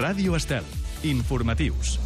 Ràdio Estel. Informatius.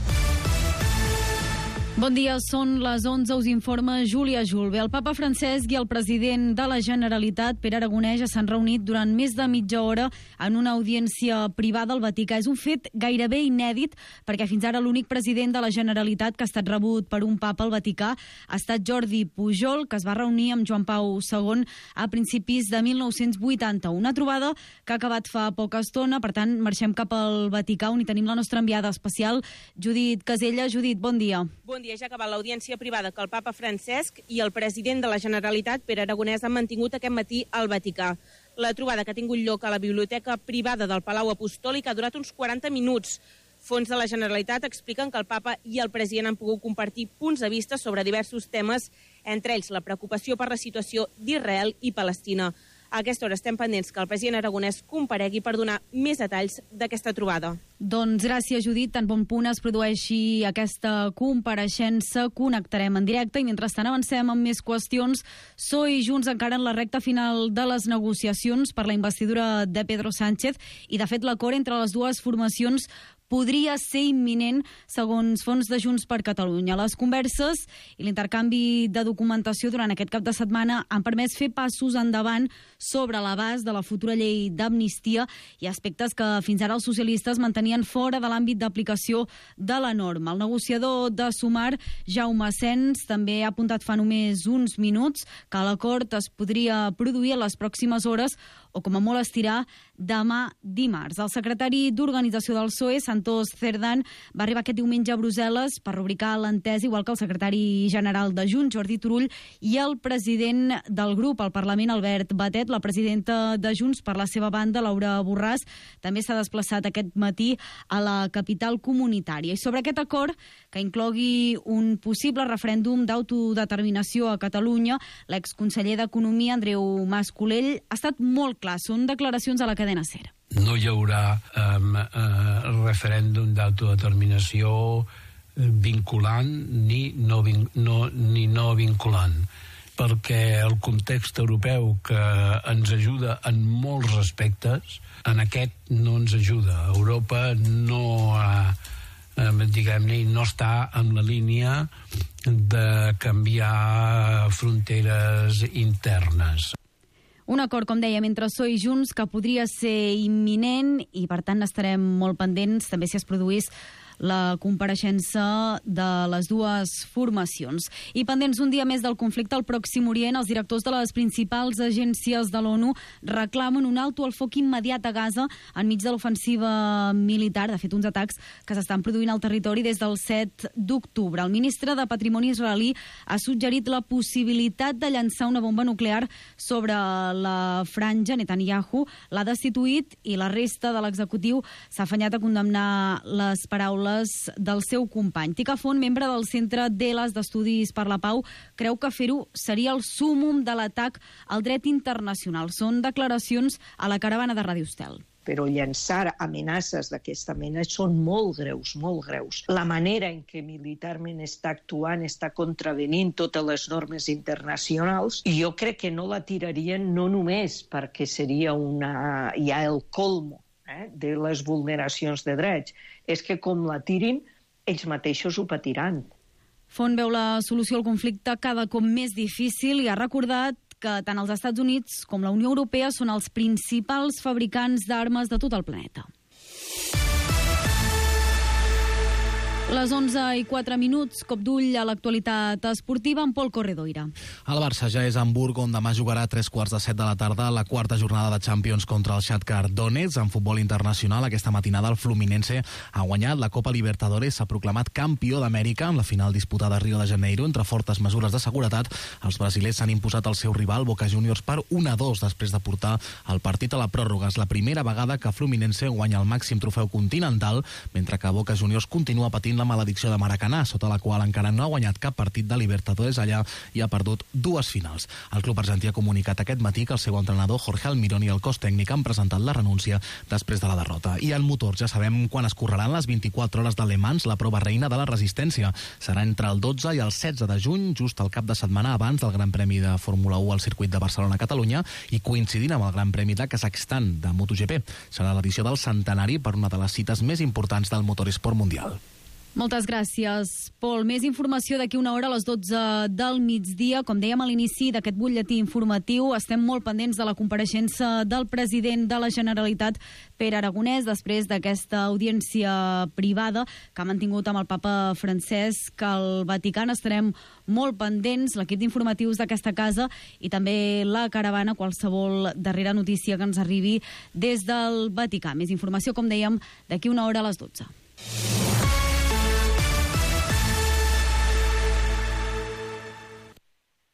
Bon dia, són les 11, us informa Júlia Julve. El papa Francesc i el president de la Generalitat, Pere Aragonès, ja s'han reunit durant més de mitja hora en una audiència privada al Vaticà. És un fet gairebé inèdit, perquè fins ara l'únic president de la Generalitat que ha estat rebut per un papa al Vaticà ha estat Jordi Pujol, que es va reunir amb Joan Pau II a principis de 1981. Una trobada que ha acabat fa poca estona, per tant, marxem cap al Vaticà, on hi tenim la nostra enviada especial, Judit Casella. Judit, bon dia. Bon dia. Ja ha acabat l'audiència privada que el papa Francesc i el president de la Generalitat, Pere Aragonès, han mantingut aquest matí al Vaticà. La trobada, que ha tingut lloc a la biblioteca privada del Palau Apostòlic, ha durat uns 40 minuts. Fons de la Generalitat expliquen que el papa i el president han pogut compartir punts de vista sobre diversos temes, entre ells la preocupació per la situació d'Israel i Palestina. A aquesta hora estem pendents que el president Aragonès comparegui per donar més detalls d'aquesta trobada. Doncs gràcies, Judit. Tan bon punt es produeixi aquesta compareixença, connectarem en directe i mentrestant avancem amb més qüestions. PSOE i Junts encara en la recta final de les negociacions per la investidura de Pedro Sánchez i, de fet, l'acord entre les dues formacions podria ser imminent, segons fons de Junts per Catalunya. Les converses i l'intercanvi de documentació durant aquest cap de setmana han permès fer passos endavant sobre l'abast de la futura llei d'amnistia i aspectes que fins ara els socialistes mantenien fora de l'àmbit d'aplicació de la norma. El negociador de Sumar, Jaume Sens, també ha apuntat fa només uns minuts que l'acord es podria produir a les pròximes hores o, com a molt estirar, demà dimarts. El secretari d'Organització del PSOE, Santos Cerdán, va arribar aquest diumenge a Brussel·les per rubricar l'entesa, igual que el secretari general de Junts, Jordi Turull, i el president del grup al Parlament, Albert Batet. La presidenta de Junts, per la seva banda, Laura Borràs, també s'ha desplaçat aquest matí a la capital comunitària. I sobre aquest acord, que inclogui un possible referèndum d'autodeterminació a Catalunya, l'exconseller d'Economia, Andreu Mas-Colell, ha estat molt clar. Són declaracions a la cadena SER. No hi haurà referèndum d'autodeterminació vinculant ni no vinculant, perquè el context europeu, que ens ajuda en molts aspectes, en aquest no ens ajuda. Europa no no està en la línia de canviar fronteres internes. Un acord, com dèiem, entre PSOE i Junts que podria ser imminent i, per tant, estarem molt pendents també si es produís la compareixença de les dues formacions. I pendents un dia més del conflicte al Pròxim Orient, els directors de les principals agències de l'ONU reclamen un alto al foc immediat a Gaza enmig de l'ofensiva militar, de fet uns atacs que s'estan produint al territori des del 7 d'octubre. El ministre de Patrimoni israelí ha suggerit la possibilitat de llançar una bomba nuclear sobre la franja. Netanyahu l'ha destituït i la resta de l'executiu s'ha afanyat a condemnar les paraules del seu company. Tica Font, membre del Centre d'Elas d'Estudis per la Pau, creu que fer-ho seria el súmmum de l'atac al dret internacional. Són declaracions a la caravana de Ràdio Estel. Però llançar amenaces d'aquesta mena són molt greus, molt greus. La manera en què militarment està actuant està contravenint totes les normes internacionals i jo crec que no la tirarien no només perquè seria ja el colmo de les vulneracions de drets, és que com la tirin, ells mateixos ho patiran. Font veu la solució al conflicte cada cop més difícil i ha recordat que tant els Estats Units com la Unió Europea són els principals fabricants d'armes de tot el planeta. Les 11:04, cop d'ull a l'actualitat esportiva amb Pol Corredoira. El Barça ja és a Hamburg, on demà jugarà a 7:15 de la tarda la quarta jornada de Champions contra el Shakhtar Donetsk. En futbol internacional, aquesta matinada el Fluminense ha guanyat la Copa Libertadores, s'ha proclamat campió d'Amèrica en la final disputada a Rio de Janeiro. Entre fortes mesures de seguretat, els brasilers s'han imposat al seu rival Boca Juniors per 1-2 després de portar el partit a la pròrroga. És la primera vegada que Fluminense guanya el màxim trofeu continental, mentre que Boca Juniors continua patint patint la maledicció de Maracanà, sota la qual encara no ha guanyat cap partit de Libertadores allà i ha perdut 2 finals. El club argentí ha comunicat aquest matí que el seu entrenador Jorge Almirón i el cos tècnic han presentat la renúncia després de la derrota. I en motor ja sabem quan es correran les 24 hores de Le Mans, la prova reina de la resistència. Serà entre el 12 i el 16 de juny, just al cap de setmana abans del Gran Premi de Fórmula 1 al circuit de Barcelona-Catalunya i coincidint amb el Gran Premi de Kazakhstan de MotoGP. Serà l'edició del centenari per una de les cites més importants del motoresport mundial. Moltes gràcies, Pol. Més informació d'aquí una hora a les 12 del migdia. Com dèiem a l'inici d'aquest butlletí informatiu, estem molt pendents de la compareixença del president de la Generalitat, Pere Aragonès, després d'aquesta audiència privada que ha mantingut amb el papa Francesc al Vaticà. Estarem molt pendents, l'equip d'informatius d'aquesta casa i també la caravana, qualsevol darrera notícia que ens arribi des del Vaticà. Més informació, com dèiem, d'aquí una hora a les 12.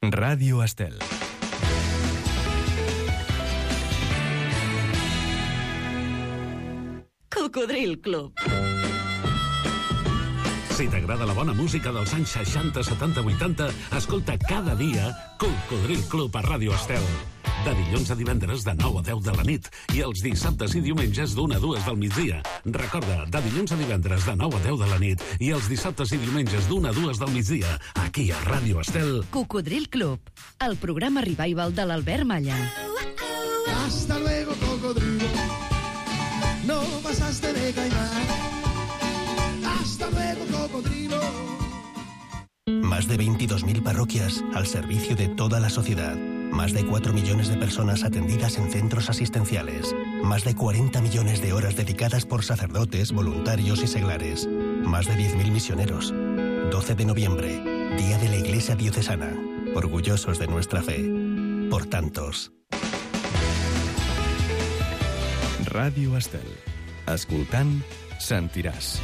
Ràdio Estel. Cocodril Club. Si t'agrada la bona música dels anys 60, 70, 80, escolta cada dia Cocodril Club a Ràdio Estel. De dilluns a divendres de 9 a 10 de la nit i els dissabtes i diumenges d'1 a 2 del migdia. Recorda, de dilluns a divendres de 9 a 10 de la nit i els dissabtes i diumenges d'1 a 2 del migdia, aquí a Ràdio Estel. Cocodril Club, el programa revival de l'Albert Malla. Hasta luego, cocodrilo. No pasaste de caimán. Hasta luego, cocodrilo. Más de 22.000 parroquias al servicio de toda la sociedad. Más de 4 millones de personas atendidas en centros asistenciales. Más de 40 millones de horas dedicadas por sacerdotes, voluntarios y seglares. Más de 10.000 misioneros. 12 de noviembre, Día de la Iglesia Diocesana. Orgullosos de nuestra fe. Por tantos. Ràdio Estel. Escoltant, sentiràs.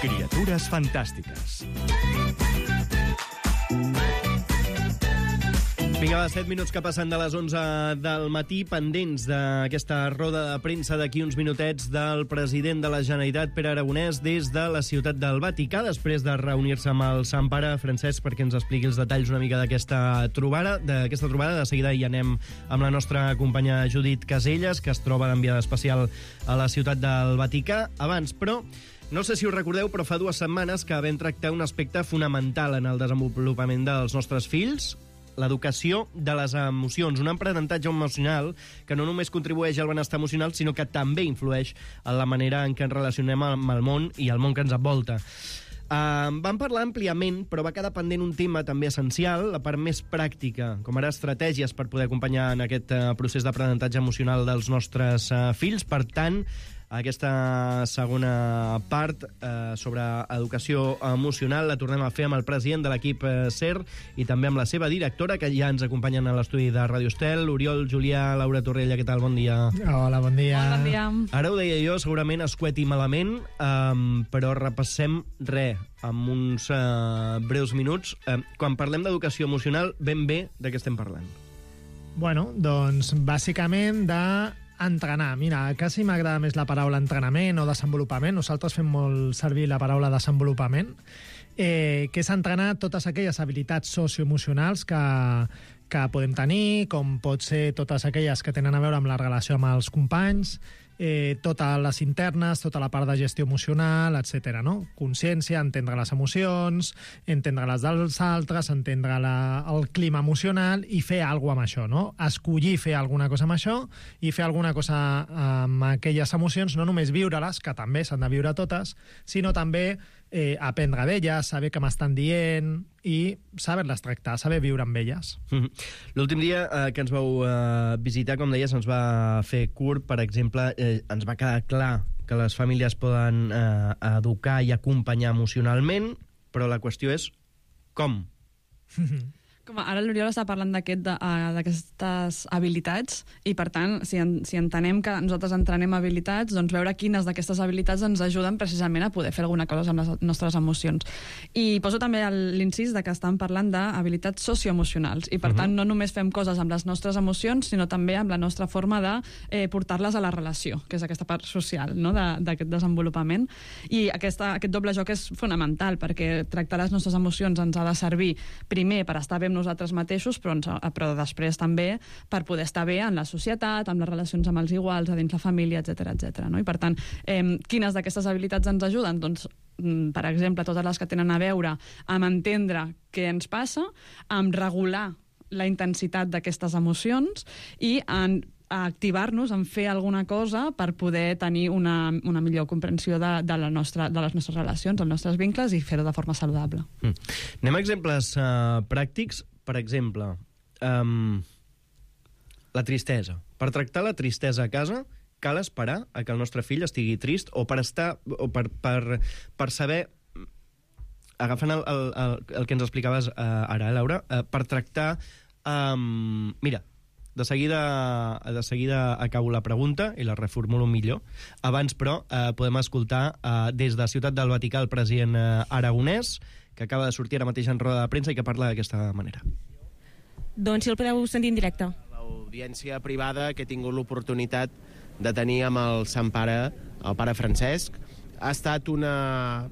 Criatures fantàstiques. Vinga, va, 7 minuts que passen de les 11 del matí, pendents d'aquesta roda de premsa d'aquí uns minutets del president de la Generalitat, Pere Aragonès, des de la ciutat del Vaticà, després de reunir-se amb el Sant Pare Francesc perquè ens expliqui els detalls una mica d'aquesta trobada. De seguida hi anem amb la nostra companya Judit Caselles, que es troba d'enviada especial a la ciutat del Vaticà. Abans, però, no sé si us recordeu, però fa 2 setmanes que vam tractar un aspecte fonamental en el desenvolupament dels nostres fills, l'educació de les emocions, un aprenentatge emocional que no només contribueix al benestar emocional, sinó que també influeix en la manera en què ens relacionem amb el món i el món que ens envolta. Vam parlar àmpliament, però va quedar pendent un tema també essencial, la part més pràctica, com ara estratègies per poder acompanyar en aquest procés d'aprenentatge emocional dels nostres fills. Per tant, aquesta segona part sobre educació emocional la tornem a fer amb el president de l'equip SER i també amb la seva directora, que ja ens acompanyen a l'estudi de Ràdio Estel, Oriol, Julià, Laura Torrella. Què tal? Bon dia. Hola, bon dia. Bon dia. Ara ho deia jo, segurament escueti malament, però repassem amb uns breus minuts. Quan parlem d'educació emocional, ben bé de què estem parlant? Bueno, doncs bàsicament entrenar. Mira, quasi m'agrada més la paraula entrenament o desenvolupament. Nosaltres fem molt servir la paraula desenvolupament, que és entrenar totes aquelles habilitats socioemocionals que podem tenir, com pot ser totes aquelles que tenen a veure amb la relació amb els companys, totes les internes, tota la part de gestió emocional, etc. No? Consciència, entendre les emocions, entendre les dels altres, entendre el clima emocional i fer alguna cosa amb això. No? Escollir fer alguna cosa amb això i fer alguna cosa amb aquelles emocions, no només viure-les, que també s'han de viure totes, sinó també aprendre d'elles, saber què m'estan dient i saber-les tractar, saber viure amb elles. L'últim dia que ens vau visitar, com deies, ens va fer curt, per exemple, ens va quedar clar que les famílies poden educar i acompanyar emocionalment, però la qüestió és com? Com ara l'Oriol està parlant d'aquestes habilitats i, per tant, si entenem que nosaltres entrenem habilitats, doncs veure quines d'aquestes habilitats ens ajuden precisament a poder fer alguna cosa amb les nostres emocions. I poso també l'incís que estan parlant d'habilitats socioemocionals i, per tant, no només fem coses amb les nostres emocions, sinó també amb la nostra forma de portar-les a la relació, que és aquesta part social, no?, d'aquest desenvolupament. I aquest doble joc és fonamental, perquè tractar les nostres emocions ens ha de servir primer per estar bé amb nosaltres mateixos, però després també per poder estar bé en la societat, amb les relacions amb els iguals, a dins la família, etc. No? I per tant, quines d'aquestes habilitats ens ajuden? Doncs, per exemple, totes les que tenen a veure amb entendre què ens passa, amb regular la intensitat d'aquestes emocions i a activar-nos en fer alguna cosa per poder tenir una millor comprensió de les nostres relacions, dels nostres vincles i fer-ho de forma saludable. Anem a exemples pràctics. Per exemple, la tristesa. Per tractar la tristesa a casa cal esperar a que el nostre fill estigui trist o per saber, agafant el que ens explicaves ara, Laura, per tractar... Mira, de seguida acabo la pregunta i la reformulo millor. Abans, però, podem escoltar des de Ciutat del Vaticà el president aragonès, que acaba de sortir ara mateix en roda de premsa i que parla d'aquesta manera. Doncs si el podeu sentir en directe. L'audiència privada que he tingut l'oportunitat de tenir amb el Sant Pare, el pare Francesc, ha estat una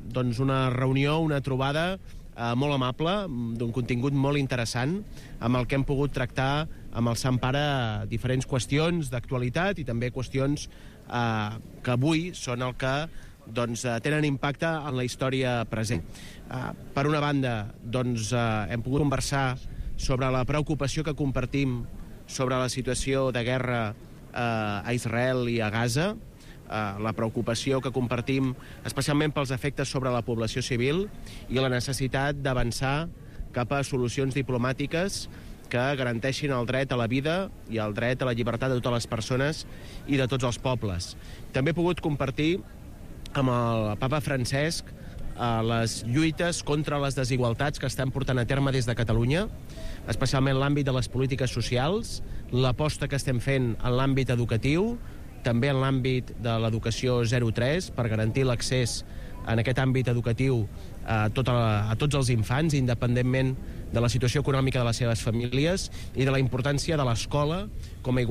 reunió, una trobada molt amable, d'un contingut molt interessant, amb el que hem pogut tractar amb el Sant Pare diferents qüestions d'actualitat i també qüestions que avui són el que tenen impacte en la història present. Per una banda, hem pogut conversar sobre la preocupació que compartim sobre la situació de guerra a Israel i a Gaza, la preocupació que compartim especialment pels efectes sobre la població civil i la necessitat d'avançar cap a solucions diplomàtiques que garanteixin el dret a la vida i el dret a la llibertat de totes les persones i de tots els pobles. També he pogut compartir amb el papa Francesc les lluites contra les desigualtats que estan portant a terme des de Catalunya, especialment l'àmbit de les polítiques socials, l'aposta que estem fent en l'àmbit educatiu, també en l'àmbit de l'educació 0-3 per garantir l'accés en aquest àmbit educatiu a tots els infants, independentment de la situació econòmica de les seves famílies i de la importància de l'escola com a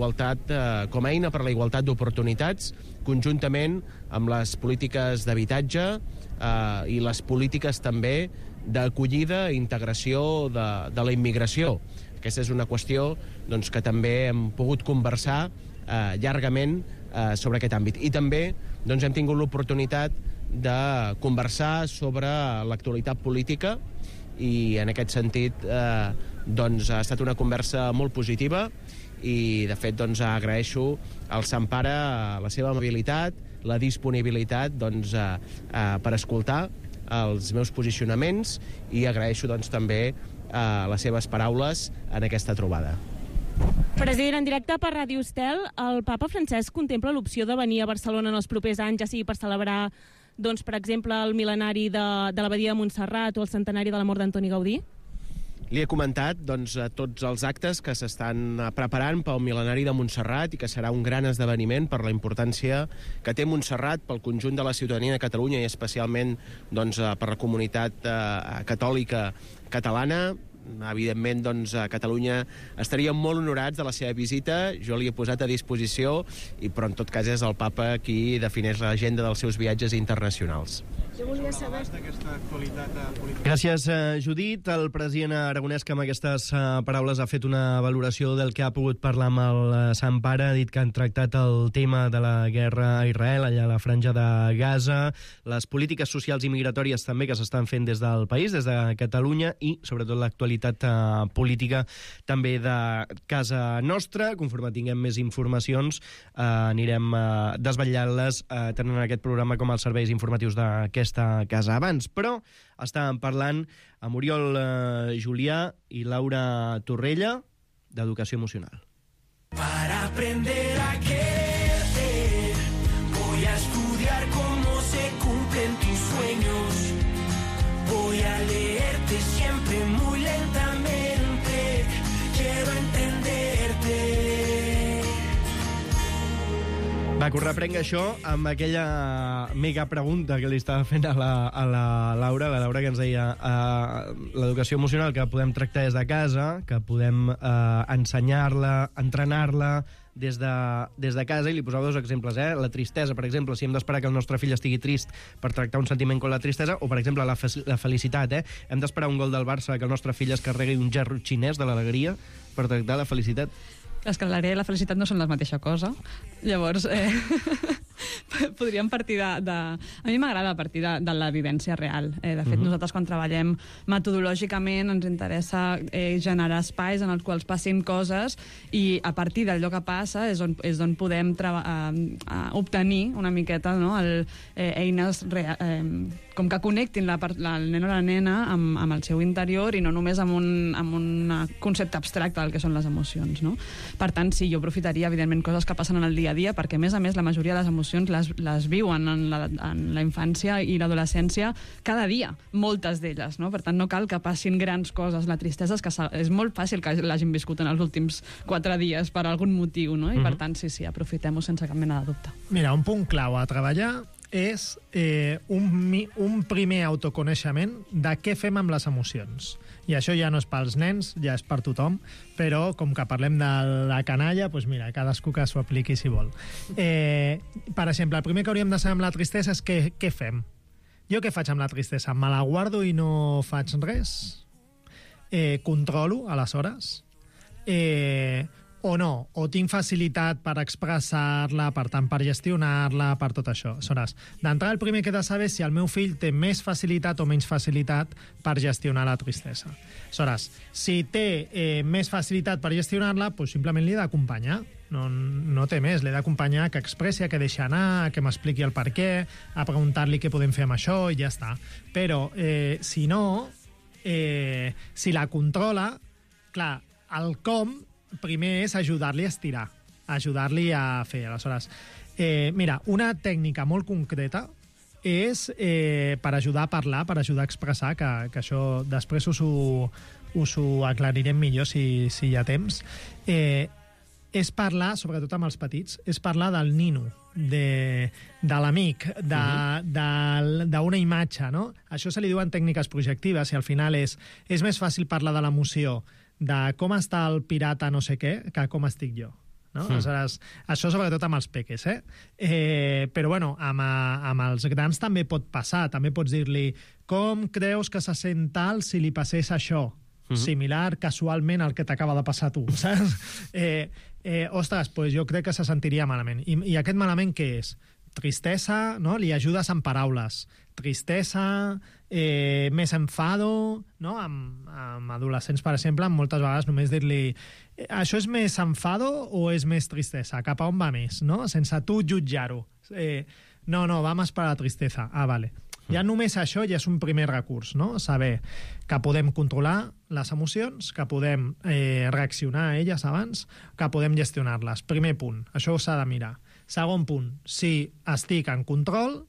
eina per a la igualtat d'oportunitats, conjuntament amb les polítiques d'habitatge i les polítiques també d'acollida i integració de la immigració. Aquesta és una qüestió que també hem pogut conversar llargament sobre aquest àmbit. I també hem tingut l'oportunitat de conversar sobre l'actualitat política i en aquest sentit ha estat una conversa molt positiva i de fet agraeixo al Sant Pare la seva amabilitat, la disponibilitat per escoltar els meus posicionaments i agraeixo també les seves paraules en aquesta trobada. President, en directe per Ràdio Estel, el papa Francesc contempla l'opció de venir a Barcelona en els propers anys, ja sigui per celebrar, per exemple, el mil·lenari de l'abadia de Montserrat o el centenari de la mort d'Antoni Gaudí? Li he comentat tots els actes que s'estan preparant pel mil·lenari de Montserrat i que serà un gran esdeveniment per la importància que té Montserrat pel conjunt de la ciutadania de Catalunya i especialment per la comunitat catòlica catalana. Evidentment, a Catalunya estaríem molt honorats de la seva visita. Jo li he posat a disposició, però en tot cas és el papa qui defineix l'agenda dels seus viatges internacionals. Jo volia saber... Gràcies, Judit. El president aragonès, que amb aquestes paraules ha fet una valoració del que ha pogut parlar amb el Sant Pare, ha dit que han tractat el tema de la guerra a Israel, allà a la franja de Gaza, les polítiques socials i migratòries també que s'estan fent des del país, des de Catalunya, i sobretot l'actualitat política també de casa nostra. Conforme tinguem més informacions anirem desvetllant-les tenint aquest programa com els serveis informatius d'aquesta casa. Abans, però, estàvem parlant amb Oriol Julià i Laura Torrella d'Educació Emocional. Para aprender a quererte voy a estudiar cómo se cumplen tus sueños. Voy a leerte siempre muy lentamente Va, que ho reprenc això amb aquella mega pregunta que li estava fent a la Laura que ens deia l'educació emocional que podem tractar des de casa, que podem ensenyar-la, entrenar-la des de casa, i li posava dos exemples, la tristesa, per exemple, si hem d'esperar que el nostre fill estigui trist per tractar un sentiment com la tristesa, o, per exemple, la felicitat, hem d'esperar un gol del Barça que el nostre fill es carregui un gerro xinès de l'alegria per tractar la felicitat. És que l'alegria i la felicitat no són la mateixa cosa. Llavors, podríem partir de... A mi m'agrada partir de la vivència real. De fet, nosaltres quan treballem metodològicament ens interessa generar espais en els quals passin coses i a partir d'allò que passa és on podem obtenir una miqueta, no? Eines com que connectin el nen o la nena amb el seu interior i no només amb un concepte abstracte del que són les emocions, no? Per tant, sí, jo aprofitaria, evidentment, coses que passen en el dia a dia, perquè, a més, la majoria de les emocions les viuen en la infància i l'adolescència cada dia, moltes d'elles, no? Per tant, no cal que passin grans coses. La tristesa és molt fàcil que l'hagin viscut en els últims 4 dies per algun motiu, no? I, per tant, sí, aprofitem-ho sense cap mena de dubte. Mira, un punt clau a treballar és un primer autoconeixement de què fem amb les emocions. I això ja no és pels nens, ja és per tothom, però com que parlem de la canalla, doncs mira, cadascú que s'ho apliqui si vol. Per exemple, el primer que hauríem de saber amb la tristesa és què fem. Jo què faig amb la tristesa? Me la guardo i no faig res? Controlo, aleshores? O no, o tinc facilitat per expressar-la, per tant, per gestionar-la, per tot això. Aleshores, d'entrada, el primer que he de saber és si el meu fill té més facilitat o menys facilitat per gestionar la tristesa. Aleshores, si té més facilitat per gestionar-la, doncs simplement li he d'acompanyar. No té més, l'he d'acompanyar que expressi, que deixi anar, que m'expliqui el per què, a preguntar-li què podem fer amb això i ja està. Però, si no, si la controla, clar, el com primer és ajudar-li a estirar, ajudar-li a fer. Aleshores, mira, una tècnica molt concreta és per ajudar a parlar, per ajudar a expressar, que això després us ho aclarirem millor si hi ha temps, és parlar, sobretot amb els petits, és parlar del nino, de l'amic, d'una imatge, no? Això se li diuen tècniques projectives i al final és més fàcil parlar de l'emoció de com està el pirata no sé què, que com estic jo. No? Aleshores, això sobretot amb els peques, però bueno, amb els grans també pot passar, també pots dir-li com creus que se sent tal si li passés això, similar casualment al que t'acaba de passar a tu, saps? Ostres, doncs jo crec que se sentiria malament. I aquest malament què és? Tristesa, no? Li ajudes amb paraules. Tristesa, més enfado, no? Amb adolescents, per exemple, moltes vegades només dir-li això és més enfado o és més tristesa? Cap a on va més, no? Sense tu jutjar-ho. No, va més per la tristesa. Ah, vale. Ja només això ja és un primer recurs, no? Saber que podem controlar les emocions, que podem reaccionar a elles abans, que podem gestionar-les. Primer punt, això s'ha de mirar. Segon punt, si estic en control,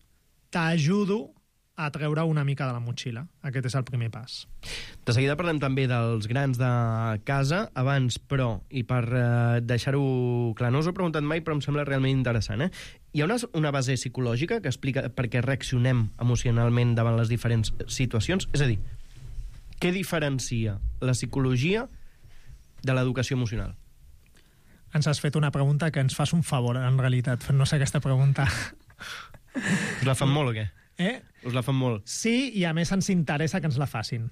t'ajudo a treure una mica de la motxilla. Aquest és el primer pas. De seguida parlem també dels grans de casa. Abans, però, i per deixar-ho clar, no us ho he preguntat mai, però em sembla realment interessant, Hi ha una base psicològica que explica per què reaccionem emocionalment davant les diferents situacions? És a dir, què diferencia la psicologia de l'educació emocional? Ens has fet una pregunta que ens fas un favor, en realitat, fent-nos aquesta pregunta. Us la fan molt o què? Us la fan molt? Sí, i a més ens interessa que ens la facin.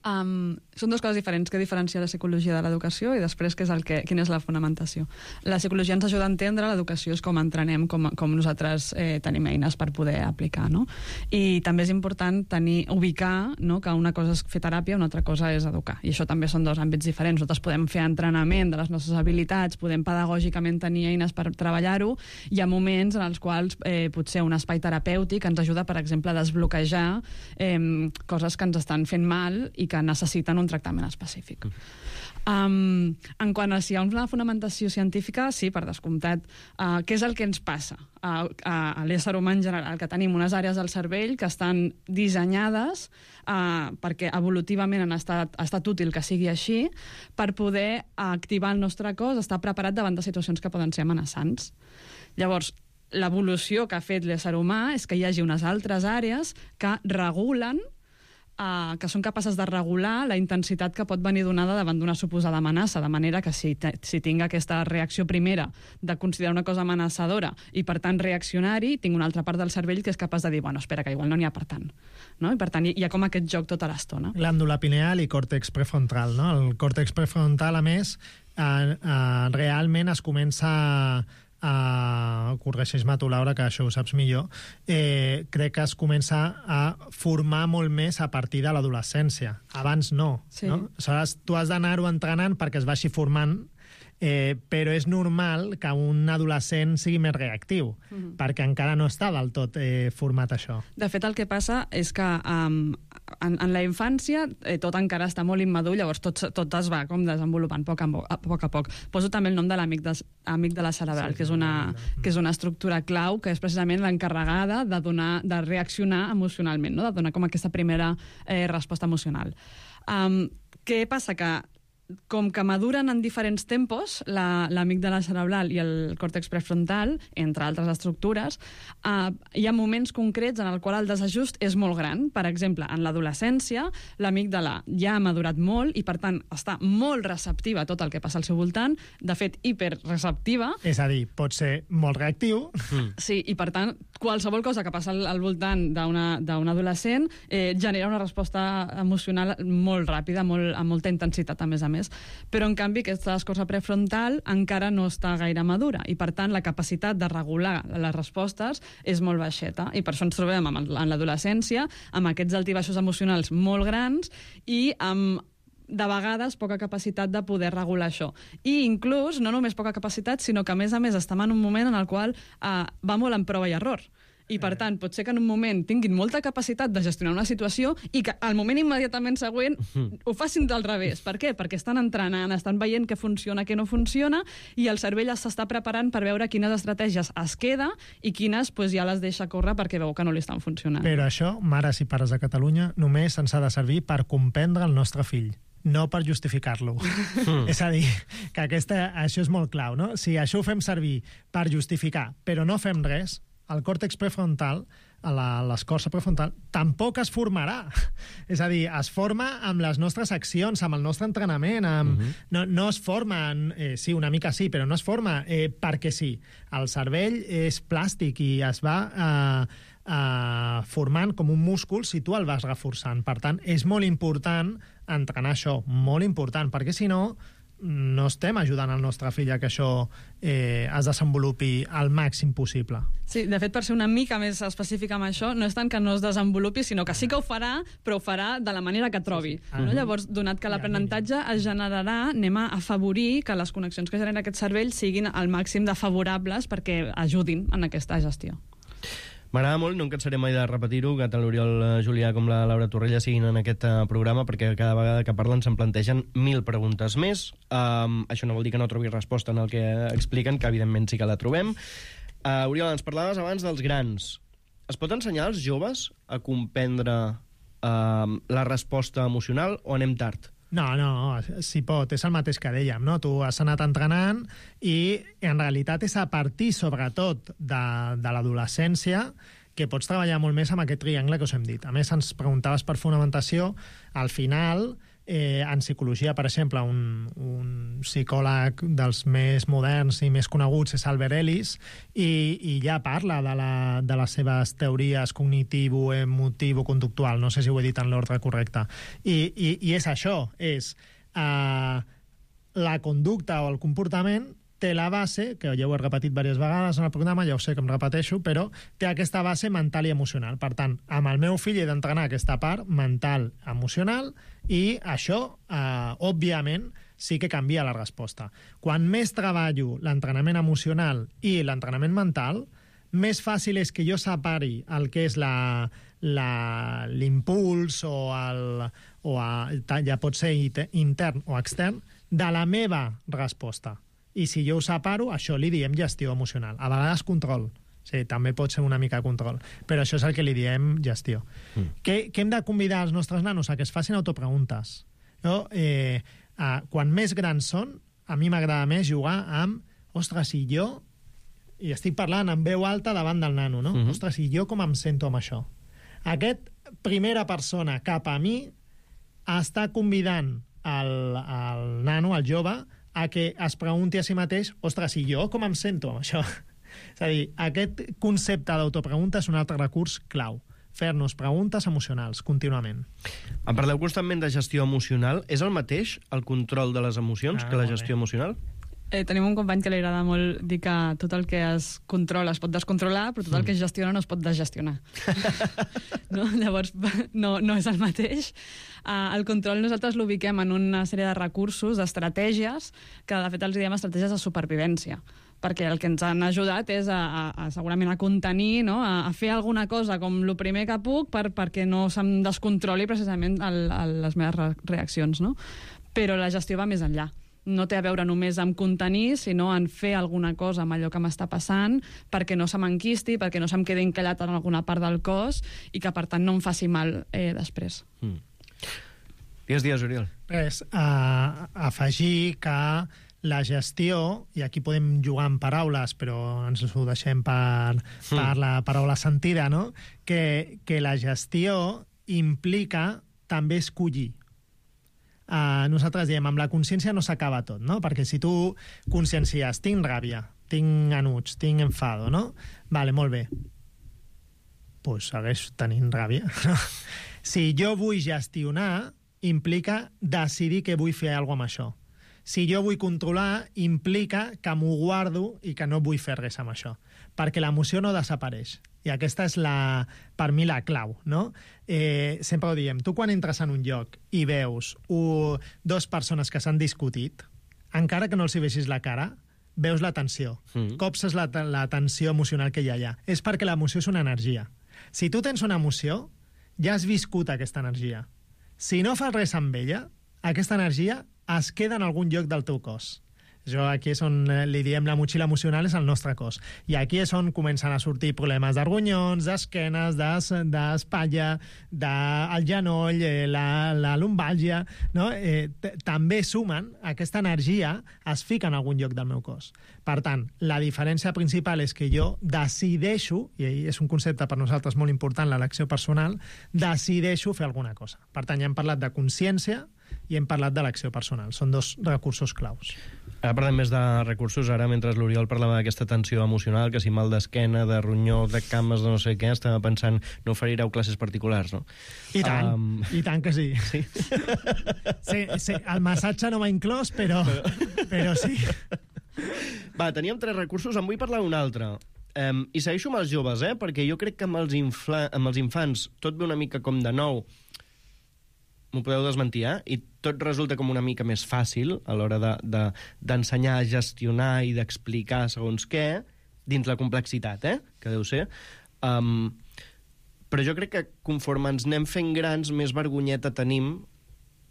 Són dues coses diferents. Què diferencia la psicologia de l'educació i després quina és la fonamentació. La psicologia ens ajuda a entendre l'educació és com entrenem, com nosaltres tenim eines per poder aplicar, no? I també és important ubicar, no, que una cosa és fer teràpia, una altra cosa és educar. I això també són dos àmbits diferents. Nosaltres podem fer entrenament de les nostres habilitats, podem pedagògicament tenir eines per treballar-ho. Hi ha moments en els quals potser un espai terapèutic ens ajuda, per exemple, a desbloquejar coses que ens estan fent mal i que necessiten un tractament específic. En quant a si hi ha una fonamentació científica, sí, per descomptat. Què és el que ens passa a l'ésser humà en general? Que tenim unes àrees del cervell que estan dissenyades perquè evolutivament ha estat útil que sigui així, per poder activar el nostre cos, estar preparat davant de situacions que poden ser amenaçants. Llavors, l'evolució que ha fet l'ésser humà és que hi hagi unes altres àrees que regulen, que són capaces de regular la intensitat que pot venir donada davant d'una suposada amenaça, de manera que si tinc aquesta reacció primera de considerar una cosa amenaçadora i, per tant, reaccionar-hi, tinc una altra part del cervell que és capaç de dir, bueno, espera, que igual no n'hi ha per tant. No? I, per tant, hi ha com aquest joc tota l'estona. Glàndula pineal i còrtex prefrontal. No? El còrtex prefrontal, a més, realment es comença corregeix-me tu, Laura, que això ho saps millor, crec que es comença a formar molt més a partir de l'adolescència. Abans no. Sí. No? Aleshores, tu has d'anar-ho entrenant perquè es vagi formant, però és normal que un adolescent sigui més reactiu, perquè encara no està del tot format això. De fet, el que passa és que en la infància tot encara està molt immadur, llavors tot es va com desenvolupant a poc a poc. Poso també el nom de l'amic de la cerebral, que és una estructura clau, que és precisament l'encarregada de reaccionar emocionalment, no? De donar com aquesta primera resposta emocional. Què passa? Que com que maduren en diferents tempos, l'amígdala cerebral i el còrtex prefrontal, entre altres estructures, hi ha moments concrets en el qual el desajust és molt gran. Per exemple, en l'adolescència, l'amígdala ja ha madurat molt i, per tant, està molt receptiva a tot el que passa al seu voltant, de fet, hiperreceptiva. És a dir, pot ser molt reactiu. Sí, i per tant, qualsevol cosa que passa al voltant d'un adolescent genera una resposta emocional molt ràpida, amb molta intensitat, a més. Però, en canvi, aquesta escorça prefrontal encara no està gaire madura i, per tant, la capacitat de regular les respostes és molt baixeta. I per això ens trobem en l'adolescència amb aquests altibaixos emocionals molt grans i amb, de vegades, poca capacitat de poder regular això. I inclús, no només poca capacitat, sinó que, a més, estem en un moment en el qual va molt en prova i error. I, per tant, pot ser que en un moment tinguin molta capacitat de gestionar una situació i que al moment immediatament següent ho facin del revés. Per què? Perquè estan entrenant, estan veient què funciona, què no funciona, i el cervell s'està preparant per veure quines estratègies es queda i quines ja les deixa córrer perquè veu que no li estan funcionant. Però això, mares i pares de Catalunya, només ens ha de servir per comprendre el nostre fill, no per justificar-lo. És a dir, que això és molt clau, no? Si això ho fem servir per justificar, però no fem res, el còrtex prefrontal, l'escorça prefrontal, tampoc es formarà. És a dir, es forma amb les nostres accions, amb el nostre entrenament. No es forma, sí, una mica sí, però no es forma perquè sí. El cervell és plàstic i es va formant com un múscul si tu el vas reforçant. Per tant, és molt important entrenar això, molt important, perquè si no estem ajudant el nostre fill a que això es desenvolupi al màxim possible. Sí, de fet, per ser una mica més específica amb això, no és tant que no es desenvolupi, sinó que sí que ho farà, però ho farà de la manera que trobi. No? Llavors, donat que l'aprenentatge es generarà, anem a afavorir que les connexions que genera aquest cervell siguin al màxim de favorables perquè ajudin en aquesta gestió. M'agrada molt, no em cansaré mai de repetir-ho, que tant l'Oriol Julià com la Laura Torrella siguin en aquest programa, perquè cada vegada que parlen se'n plantegen 1000 preguntes més. Això no vol dir que no trobi resposta en el que expliquen, que evidentment sí que la trobem. Oriol, ens parlaves abans dels grans. Es pot ensenyar als joves a comprendre la resposta emocional o anem tard? No, s'hi pot, és el mateix que dèiem, no? Tu has anat entrenant i en realitat és a partir, sobretot, de l'adolescència que pots treballar molt més amb aquest triangle que us hem dit. A més, ens preguntaves per fonamentació, al final, en psicologia, per exemple, un psicòleg dels més moderns i més coneguts és Albert Ellis, i ja parla de les seves teories cognitivo-emotivo-conductual, no sé si ho he dit en l'ordre correcte. I és això, és la conducta o el comportament té la base, que ja ho he repetit diverses vegades en el programa, ja ho sé que em repeteixo, però té aquesta base mental i emocional. Per tant, amb el meu fill he d'entrenar aquesta part mental, emocional, i això, òbviament, sí que canvia la resposta. Quan més treballo l'entrenament emocional i l'entrenament mental, més fàcil és que jo separi el que és l'impuls o ja pot ser intern o extern, de la meva resposta. I si jo ho separo, això li diem gestió emocional. A vegades control. Sí, també pot ser una mica control. Però això és el que li diem gestió. Què hem de convidar els nostres nanos? A que es facin autopreguntes. Quan més grans són, a mi m'agrada més jugar amb ostres, i jo... I estic parlant en veu alta davant del nano, no? Ostres, i jo com em sento amb això? Aquest primera persona cap a mi està convidant el nano, el jove, a que es pregunti a si mateix ostres, i jo com em sento amb això? És a dir, aquest concepte d'autopregunta és un altre recurs clau. Fer-nos preguntes emocionals contínuament. En parleu constantment de gestió emocional. És el mateix el control de les emocions que la gestió emocional? Tenim un company que li agrada molt dir que tot el que es controla es pot descontrolar, però tot el que es gestiona no es pot desgestionar. No? Llavors, no és el mateix. El control nosaltres l'ubiquem en una sèrie de recursos, d'estratègies, que de fet els diem estratègies de supervivència, perquè el que ens han ajudat és segurament a contenir, no? A fer alguna cosa com el primer que puc perquè no se'm descontroli precisament les meves reaccions. No? Però la gestió va més enllà. No té a veure només amb contenir, sinó en fer alguna cosa amb allò que m'està passant perquè no se m'enquisti, perquè no se'm quedi encallat en alguna part del cos i que, per tant, no em faci mal després. Digues, Oriol. Res, afegir que la gestió, i aquí podem jugar amb paraules, però ens ho deixem per la paraula sentida, no? Que la gestió implica també escollir. Nosaltres diem, amb la consciència no s'acaba tot, no? Perquè si tu consciencies, tinc ràbia, tinc enuig, tinc enfado, no? Vale, molt bé. Pues segueix tenint ràbia. Si jo vull gestionar, implica decidir que vull fer alguna cosa amb això. Si jo vull controlar, implica que m'ho guardo i que no vull fer res amb això. Perquè l'emoció no desapareix. I aquesta és, per mi, la clau, no? Sempre ho diem, tu quan entres en un lloc i veus dues persones que s'han discutit, encara que no els hi vegis la cara, veus la tensió. Copses la tensió emocional que hi ha allà. És perquè l'emoció és una energia. Si tu tens una emoció, ja has viscut aquesta energia. Si no fas res amb ella, aquesta energia es queda en algun lloc del teu cos. Això aquí és on li diem la motxilla emocional, és el nostre cos. I aquí és on comencen a sortir problemes de ronyons, d'esquenes, d'espatlla, del genoll, la lumbàlgia, no? També sumen, aquesta energia es fica en algun lloc del meu cos. Per tant, la diferència principal és que jo decideixo, i és un concepte per nosaltres molt important, l'elecció personal, decideixo fer alguna cosa. Per tant, ja hem parlat de consciència i hem parlat de l'acció personal. Són dos recursos claus. Ara parlem més de recursos. Ara, mentre l'Oriol parlava d'aquesta tensió emocional, que si mal d'esquena, de ronyó, de cames, de no sé què, estava pensant, no oferireu classes particulars, no? I tant que sí. Sí? Sí, el massatge no m'ha inclòs, però sí. Va, teníem 3 recursos, en vull parlar un altre. I segueixo amb els joves, perquè jo crec que amb els infants tot ve una mica com de nou. M'ho podeu desmentir, i tot resulta com una mica més fàcil a l'hora d'ensenyar a gestionar i d'explicar segons què, dins la complexitat, que deu ser. Però jo crec que conforme ens anem fent grans, més vergonyeta tenim,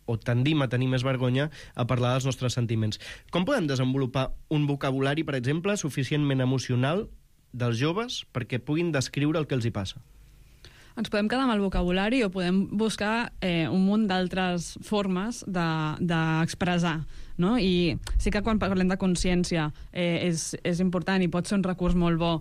o tendim a tenir més vergonya a parlar dels nostres sentiments. Com podem desenvolupar un vocabulari, per exemple, suficientment emocional dels joves perquè puguin descriure el que els hi passa? Ens podem quedar amb el vocabulari o podem buscar un munt d'altres formes d'expressar, no? I sí que quan parlem de consciència és important i pot ser un recurs molt bo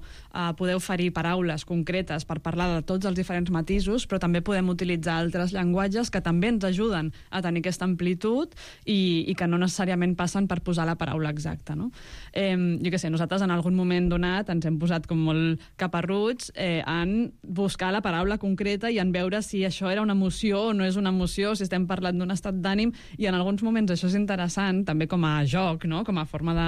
poder oferir paraules concretes per parlar de tots els diferents matisos, però també podem utilitzar altres llenguatges que també ens ajuden a tenir aquesta amplitud i que no necessàriament passen per posar la paraula exacta, no? Jo què sé, nosaltres en algun moment donat ens hem posat com molt caparruts en buscar la paraula concreta i en veure si això era una emoció o no és una emoció, si estem parlant d'un estat d'ànim, i en alguns moments això és interessant, també com a joc, no? Com a forma de...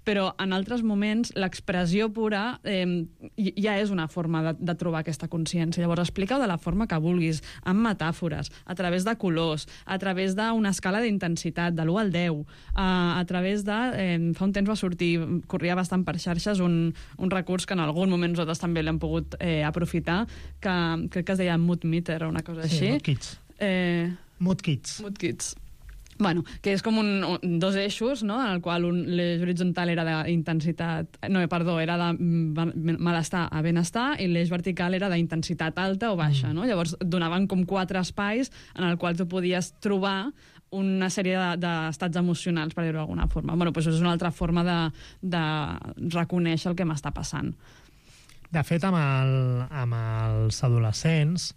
Però en altres moments l'expressió pura ja és una forma de trobar aquesta consciència. Llavors explica-ho de la forma que vulguis, amb metàfores, a través de colors, a través d'una escala d'intensitat, de l'1 al 10, a través de... Fa un temps va sortir, corria bastant per xarxes, un recurs que en algun moment nosaltres també l'hem pogut aprofitar, que crec que es deia Mood Meter o una cosa així. Sí, Kids. Mood Kits. Mood Kits. Bueno, que és com dos eixos, no?, en el qual l'eix horitzontal era d'intensitat... No, perdó, era de malestar a benestar, i l'eix vertical era d'intensitat alta o baixa, no? Llavors donaven com 4 espais en el qual tu podies trobar una sèrie d'estats emocionals, per dir-ho d'alguna forma. Bueno, doncs és una altra forma de reconèixer el que m'està passant. De fet, amb els adolescents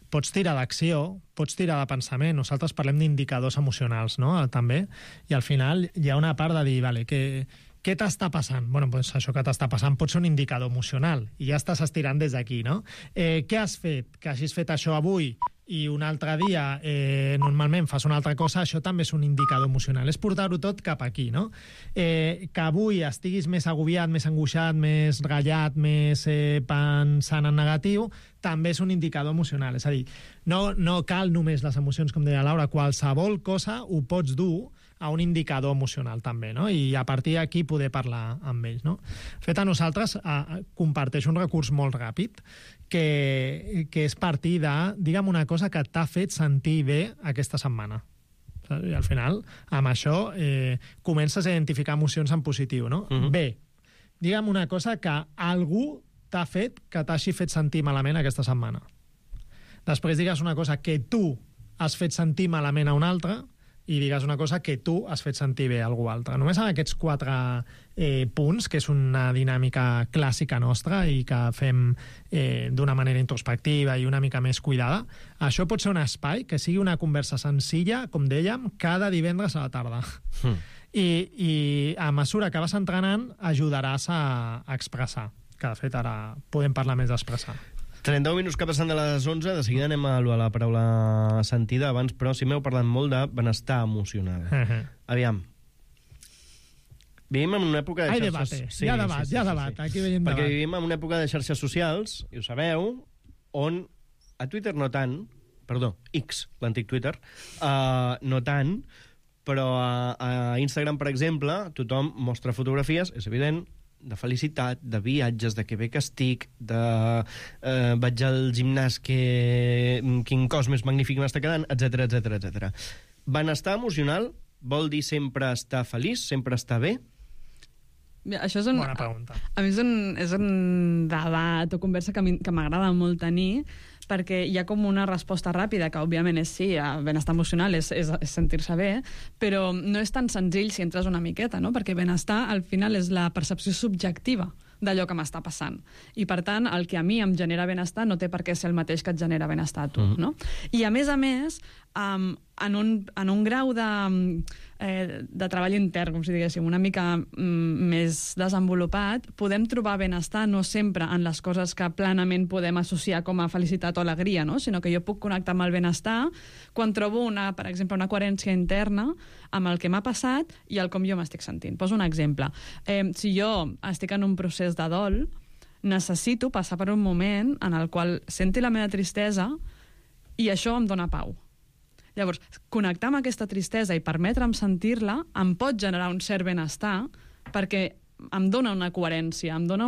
pots tirar d'acció, pots tirar de pensament. Nosaltres parlem d'indicadors emocionals, no?, també, i al final hi ha una part de dir, vale, què t'està passant? Bueno, doncs això que t'està passant pot ser un indicador emocional, i ja estàs estirant des d'aquí, no? Què has fet? Que hagis fet això avui i un altre dia normalment fas una altra cosa, això també és un indicador emocional. És portar-ho tot cap aquí, no? Que avui estiguis més agobiat, més angoixat, més ratllat, més pensant en negatiu, també és un indicador emocional. És a dir, no cal només les emocions, com deia Laura, qualsevol cosa ho pots dur a un indicador emocional també, no? I a partir d'aquí poder parlar amb ells, no? De fet, a nosaltres comparteix un recurs molt ràpid que és partir de, digue'm una cosa que t'ha fet sentir bé aquesta setmana. I al final, amb això, comences a identificar emocions en positiu, no? Bé, digue'm una cosa que algú t'ha fet que t'hagi fet sentir malament aquesta setmana. Després digues una cosa que tu has fet sentir malament a un altre i digues una cosa que tu has fet sentir bé a algú altre. Només amb aquests 4 punts, que és una dinàmica clàssica nostra i que fem d'una manera introspectiva i una mica més cuidada, això pot ser un espai que sigui una conversa senzilla, com dèiem, cada divendres a la tarda. I a mesura que vas entrenant ajudaràs a expressar, que de fet ara podem parlar més d'expressar. 31 minuts que passen de les 11, de seguida anem a la paraula sentida. Abans, però, sí m'heu parlat molt de benestar emocional. Aviam. Vivim en una època de xarxes... Sí, hi ha debat. Aquí veiem debat. Perquè vivim en una època de xarxes socials, i ho sabeu, on a Twitter no tant, perdó, X, l'antic Twitter, no tant, però a Instagram, per exemple, tothom mostra fotografies, és evident, de felicitat, de viatges, de que bé que estic, de vaig al gimnàs, quin cos més magnífic m'està quedant, etc. Benestar emocional vol dir sempre estar feliç, sempre estar bé? Això és bona pregunta. A mi és un debat o conversa que m'agrada molt tenir, perquè hi ha com una resposta ràpida, que òbviament és sí, benestar emocional és sentir-se bé, però no és tan senzill si entres una miqueta, no? Perquè benestar al final és la percepció subjectiva d'allò que m'està passant. I, per tant, el que a mi em genera benestar no té per què ser el mateix que et genera benestar a tu, no? I, a més, en un grau de treball intern, com si diguéssim, una mica més desenvolupat, podem trobar benestar no sempre en les coses que planament podem associar com a felicitat o alegria, no? Sinó que jo puc connectar amb el benestar quan trobo, per exemple, una coherència interna amb el que m'ha passat i el com jo m'estic sentint. Poso un exemple. Si jo estic en un procés de dol, necessito passar per un moment en el qual senti la meva tristesa i això em dona pau. Llavors, connectar amb aquesta tristesa i permetre'm sentir-la em pot generar un cert benestar perquè em dona una coherència, em dona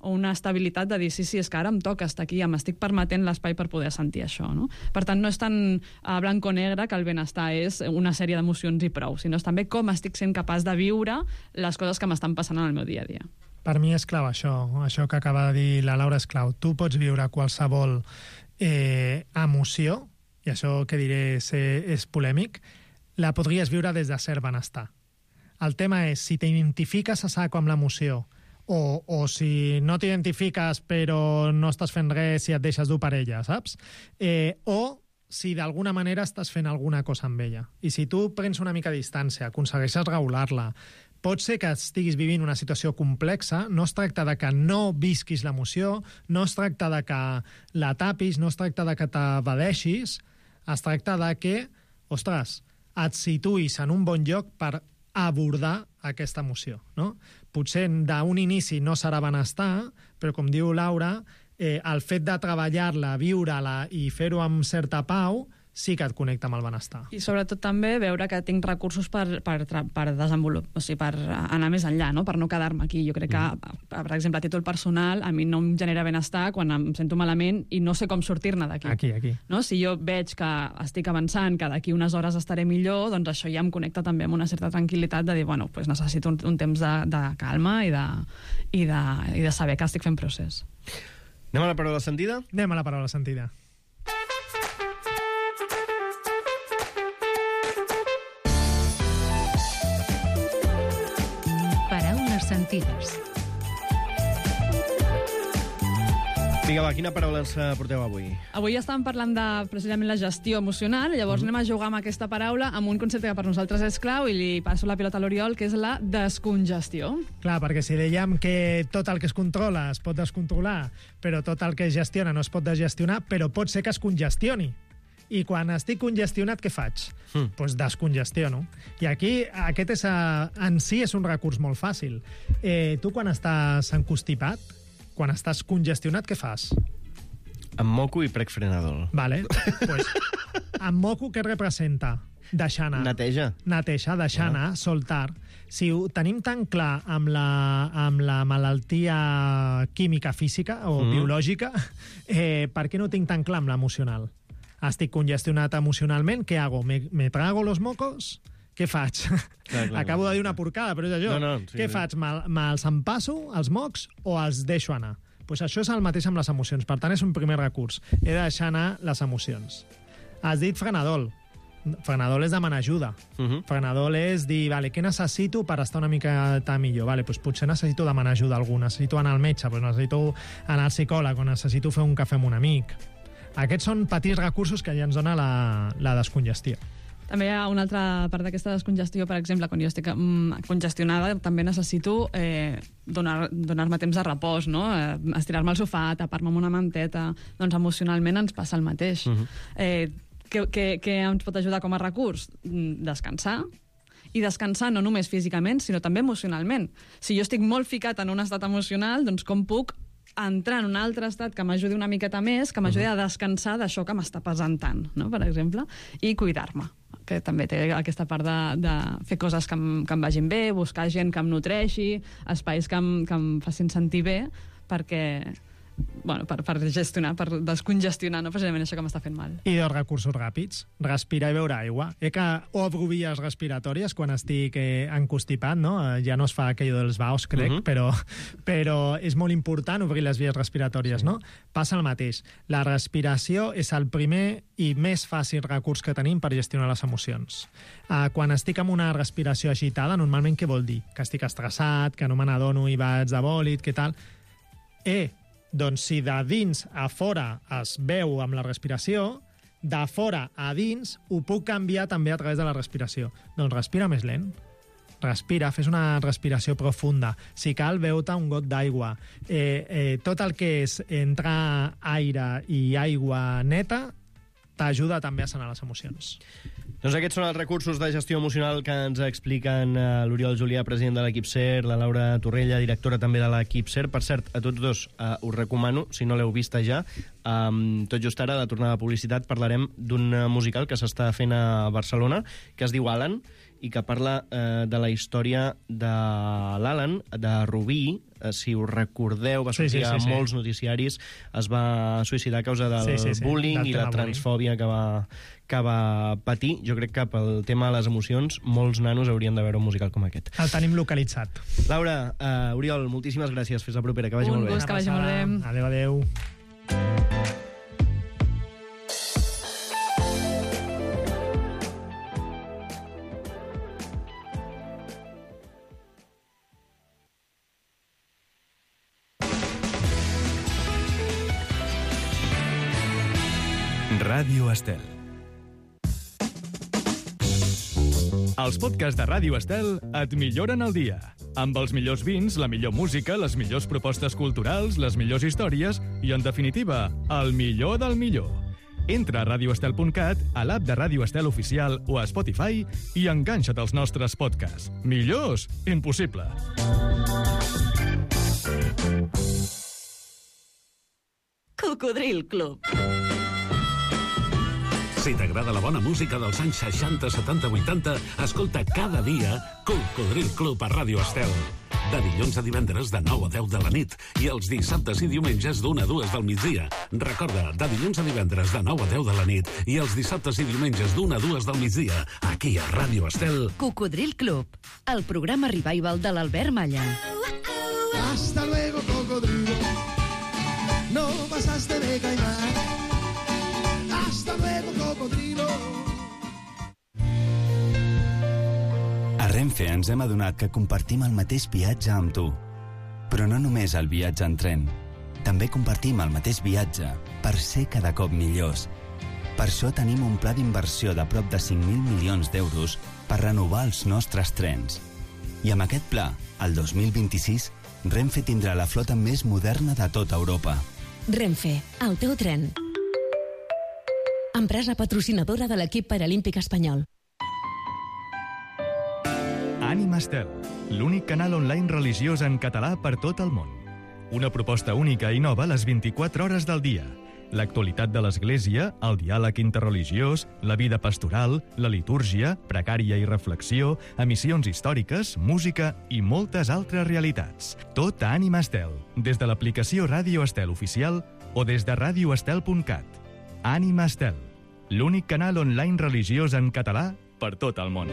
una estabilitat de dir sí, és que ara em toca estar aquí, m'estic permetent l'espai per poder sentir això, no? Per tant, no és tan blanc o negre que el benestar és una sèrie d'emocions i prou, sinó és també com estic sent capaç de viure les coses que m'estan passant en el meu dia a dia. Per mi és clau això que acaba de dir la Laura és clau. Tu pots viure qualsevol emoció, i això que diré és polèmic, la podries viure des de cert benestar. El tema és si t'identifiques a saco amb l'emoció o si no t'identifiques però no estàs fent res si et deixes dur per ella, saps? O si d'alguna manera estàs fent alguna cosa amb ella. I si tu prens una mica de distància, aconsegueixes regular-la, pot ser que estiguis vivint una situació complexa, no es tracta de que no visquis l'emoció, no es tracta de que la tapis, no es tracta de que t'evadeixis, es tracta de que, ostres, et situïs en un bon lloc per abordar aquesta emoció, no? Potser d'un inici no serà benestar, però com diu Laura, el fet de treballar-la, viure-la i fer-ho amb certa pau, sí que et connecta amb el benestar. I sobretot també veure que tinc recursos per desenvolupar, o sigui, per anar més enllà, no? Per no quedar-me aquí. Jo crec que, per exemple, a títol personal, a mi no em genera benestar quan em sento malament i no sé com sortir-ne d'aquí. Aquí. No? Si jo veig que estic avançant, que d'aquí unes hores estaré millor, doncs això ja em connecta també amb una certa tranquil·litat de dir, bueno, pues necessito un temps de calma i de saber que estic fent procés. Anem a la paraula sentida? Anem a la paraula sentida. Paraules sentides. Vinga, va, quina paraula ens porteu avui? Avui estàvem parlant de precisament la gestió emocional, llavors anem a jugar amb aquesta paraula amb un concepte que per nosaltres és clau i li passo la pilota a l'Oriol, que és la descongestió. Clar, perquè si dèiem que tot el que es controla es pot descontrolar, però tot el que es gestiona no es pot desgestionar, però pot ser que es congestioni. I quan estic congestionat, què faig? Doncs descongestiono. I aquí, aquest en si és un recurs molt fàcil. Tu, quan estàs encostipat, quan estàs congestionat, què fas? Em moco i prec frenador. Vale. Pues, em moco, què representa? Deixar anar. Neteja. Netejar, deixar anar, soltar. Si ho tenim tan clar amb la malaltia química, física o biològica, per què no tinc tan clar amb l'emocional? Estic congestionat emocionalment, què hago? ¿Me trago los mocos? Què faig? Clar. Acabo de dir una porcada, però és allò. Què faig? Me'ls empasso, els mocs, o els deixo anar? Pues això és el mateix amb les emocions. Per tant, és un primer recurs. He de deixar anar les emocions. Has dit frenadol. Frenadol és demanar ajuda. Frenadol és dir, vale, què necessito per estar una mica millor? Vale, pues potser necessito demanar ajuda a algú, necessito anar al metge, pues necessito anar al psicòleg, o necessito fer un cafè amb un amic. Aquests són petits recursos que ja ens dona la descongestió. També hi ha una altra part d'aquesta descongestió, per exemple, quan jo estic congestionada, també necessito donar-me temps de repòs, no? Estirar-me al sofà, tapar-me amb una manteta. Doncs emocionalment ens passa el mateix. Què ens pot ajudar com a recurs? Descansar. I descansar no només físicament, sinó també emocionalment. Si jo estic molt ficat en un estat emocional, doncs com puc entrar en un altre estat que m'ajudi una miqueta més, que m'ajudi a descansar d'això que m'està pesant tant, no? Per exemple, i cuidar-me, que també té aquesta part de fer coses que em vagin bé, buscar gent que em nutreixi, espais que em facin sentir bé, perquè per gestionar, per descongestionar, no precisament això que m'està fent mal. I dos recursos ràpids, respirar i beure aigua. Que obro vies respiratòries quan estic encostipat, no? Ja no es fa aquell dels baus, crec, però és molt important obrir les vies respiratòries, no? Passa el mateix. La respiració és el primer i més fàcil recurs que tenim per gestionar les emocions. Quan estic amb una respiració agitada, normalment què vol dir? Que estic estressat, que no me n'adono i vaig de bòlit, què tal? Doncs si de dins a fora es veu amb la respiració, de fora a dins ho puc canviar també a través de la respiració. Doncs respira més lent. Respira, fes una respiració profunda. Si cal, beu-te un got d'aigua. Tot el que és entrar aire i aigua neta t'ajuda també a sanar les emocions. Doncs aquests són els recursos de gestió emocional que ens expliquen l'Oriol Julià, president de l'equip SER, la Laura Torrella, directora també de l'equip SER. Per cert, a tots dos us recomano, si no l'heu vista ja, tot just ara, a la tornada de publicitat, parlarem d'un musical que s'està fent a Barcelona, que es diu Alan, i que parla de la història de l'Alan, de Rubí. Si us recordeu, va sortir a molts noticiaris, es va suïcidar a causa del bullying i la transfòbia que va patir. Jo crec que pel tema de les emocions molts nanos haurien de veure un musical com aquest. El tenim localitzat. Laura, Oriol, moltíssimes gràcies. Fins la propera, que vagi molt bé. Un gust, que vagi molt bé. Adéu, adéu. Ràdio Estel. Els podcasts de Ràdio Estel et milloren el dia. Amb els millors vins, la millor música, les millors propostes culturals, les millors històries i, en definitiva, el millor del millor. Entra a radioestel.cat, a l'app de Ràdio Estel Oficial o a Spotify i enganxa't als nostres podcasts. Millors? Impossible. Cocodril Club. Si t'agrada la bona música dels anys 60, 70, 80, escolta cada dia Cocodril Club a Ràdio Estel. De dilluns a divendres de 9 a 10 de la nit i els dissabtes i diumenges d'1 a 2 del migdia. Recorda, de dilluns a divendres de 9 a 10 de la nit i els dissabtes i diumenges d'1 a 2 del migdia, aquí a Ràdio Estel. Cocodril Club, el programa revival de l'Albert Malla. Hasta luego, cocodrilo. No pasaste de caimán. Hasta luego, cocodrilo. A Renfe ens hem adonat que compartim el mateix viatge amb tu. Però no només el viatge en tren. També compartim el mateix viatge per ser cada cop millors. Per això tenim un pla d'inversió de prop de 5.000 milions d'euros per renovar els nostres trens. I amb aquest pla, el 2026, Renfe tindrà la flota més moderna de tota Europa. Renfe, el teu tren. Empresa patrocinadora de l'equip paralímpic espanyol. Ànima Estel, l'únic canal online religiós en català per tot el món. Una proposta única i nova a les 24 hores del dia. L'actualitat de l'Església, el diàleg interreligiós, la vida pastoral, la litúrgia, pregària i reflexió, emissions històriques, música i moltes altres realitats. Tot a Ànima Estel, des de l'aplicació Ràdio Estel oficial o des de radioestel.cat. Ànima Estel, l'únic canal online religiós en català per tot el món.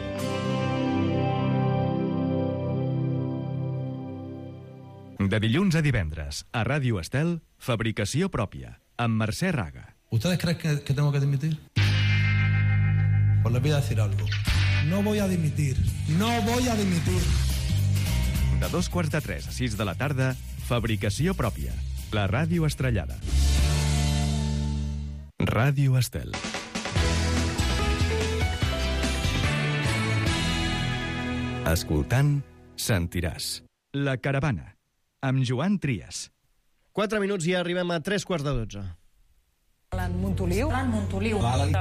De dilluns a divendres, a Ràdio Estel, Fabricació pròpia, amb Mercè Raga. ¿Ustedes creen que tengo que dimitir? Pues les voy a decir algo. No voy a dimitir. No voy a dimitir. De 2:45 a 6 de la tarda, Fabricació pròpia, la ràdio estrellada. Ràdio Estel. Escoltant, sentiràs. La caravana, amb Joan Trias. 4 minuts i arribem a 3:15. L'Alan Montoliu. L'Alan Montoliu. L'Alan.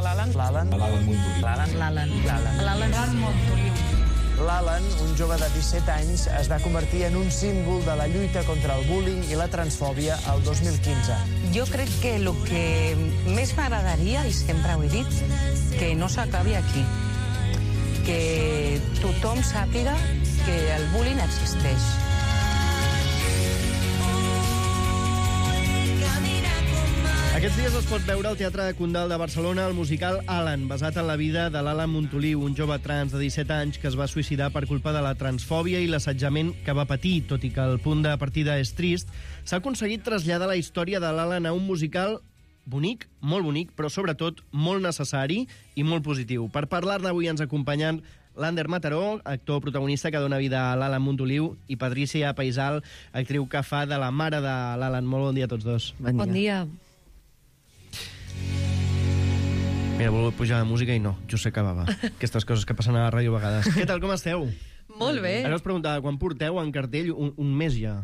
L'Alan, un jove de 17 anys, es va convertir en un símbol de la lluita contra el bullying i la transfòbia el 2015. Jo crec que el que més m'agradaria, i sempre ho he dit, que no s'acabi aquí. Que tothom sàpiga que el bullying existeix. Aquests dies es pot veure al Teatre de Condal de Barcelona el musical Alan, basat en la vida de l'Alan Montoliu, un jove trans de 17 anys que es va suïcidar per culpa de la transfòbia i l'assetjament que va patir. Tot i que el punt de partida és trist, s'ha aconseguit traslladar la història de l'Alan a un musical bonic, molt bonic, però sobretot molt necessari i molt positiu. Per parlar-ne avui ens acompanyen l'Ander Mataró, actor protagonista que dona vida a l'Alan Montoliu, i Patrícia Paisal, actriu que fa de la mare de l'Alan. Molt bon dia a tots dos. Bon dia. Mira, he volgut pujar la música i no, just s'acabava. Aquestes coses que passen a la ràdio a vegades. Què tal, com esteu? Molt bé. Ara us preguntava, quan porteu en cartell un mes ja?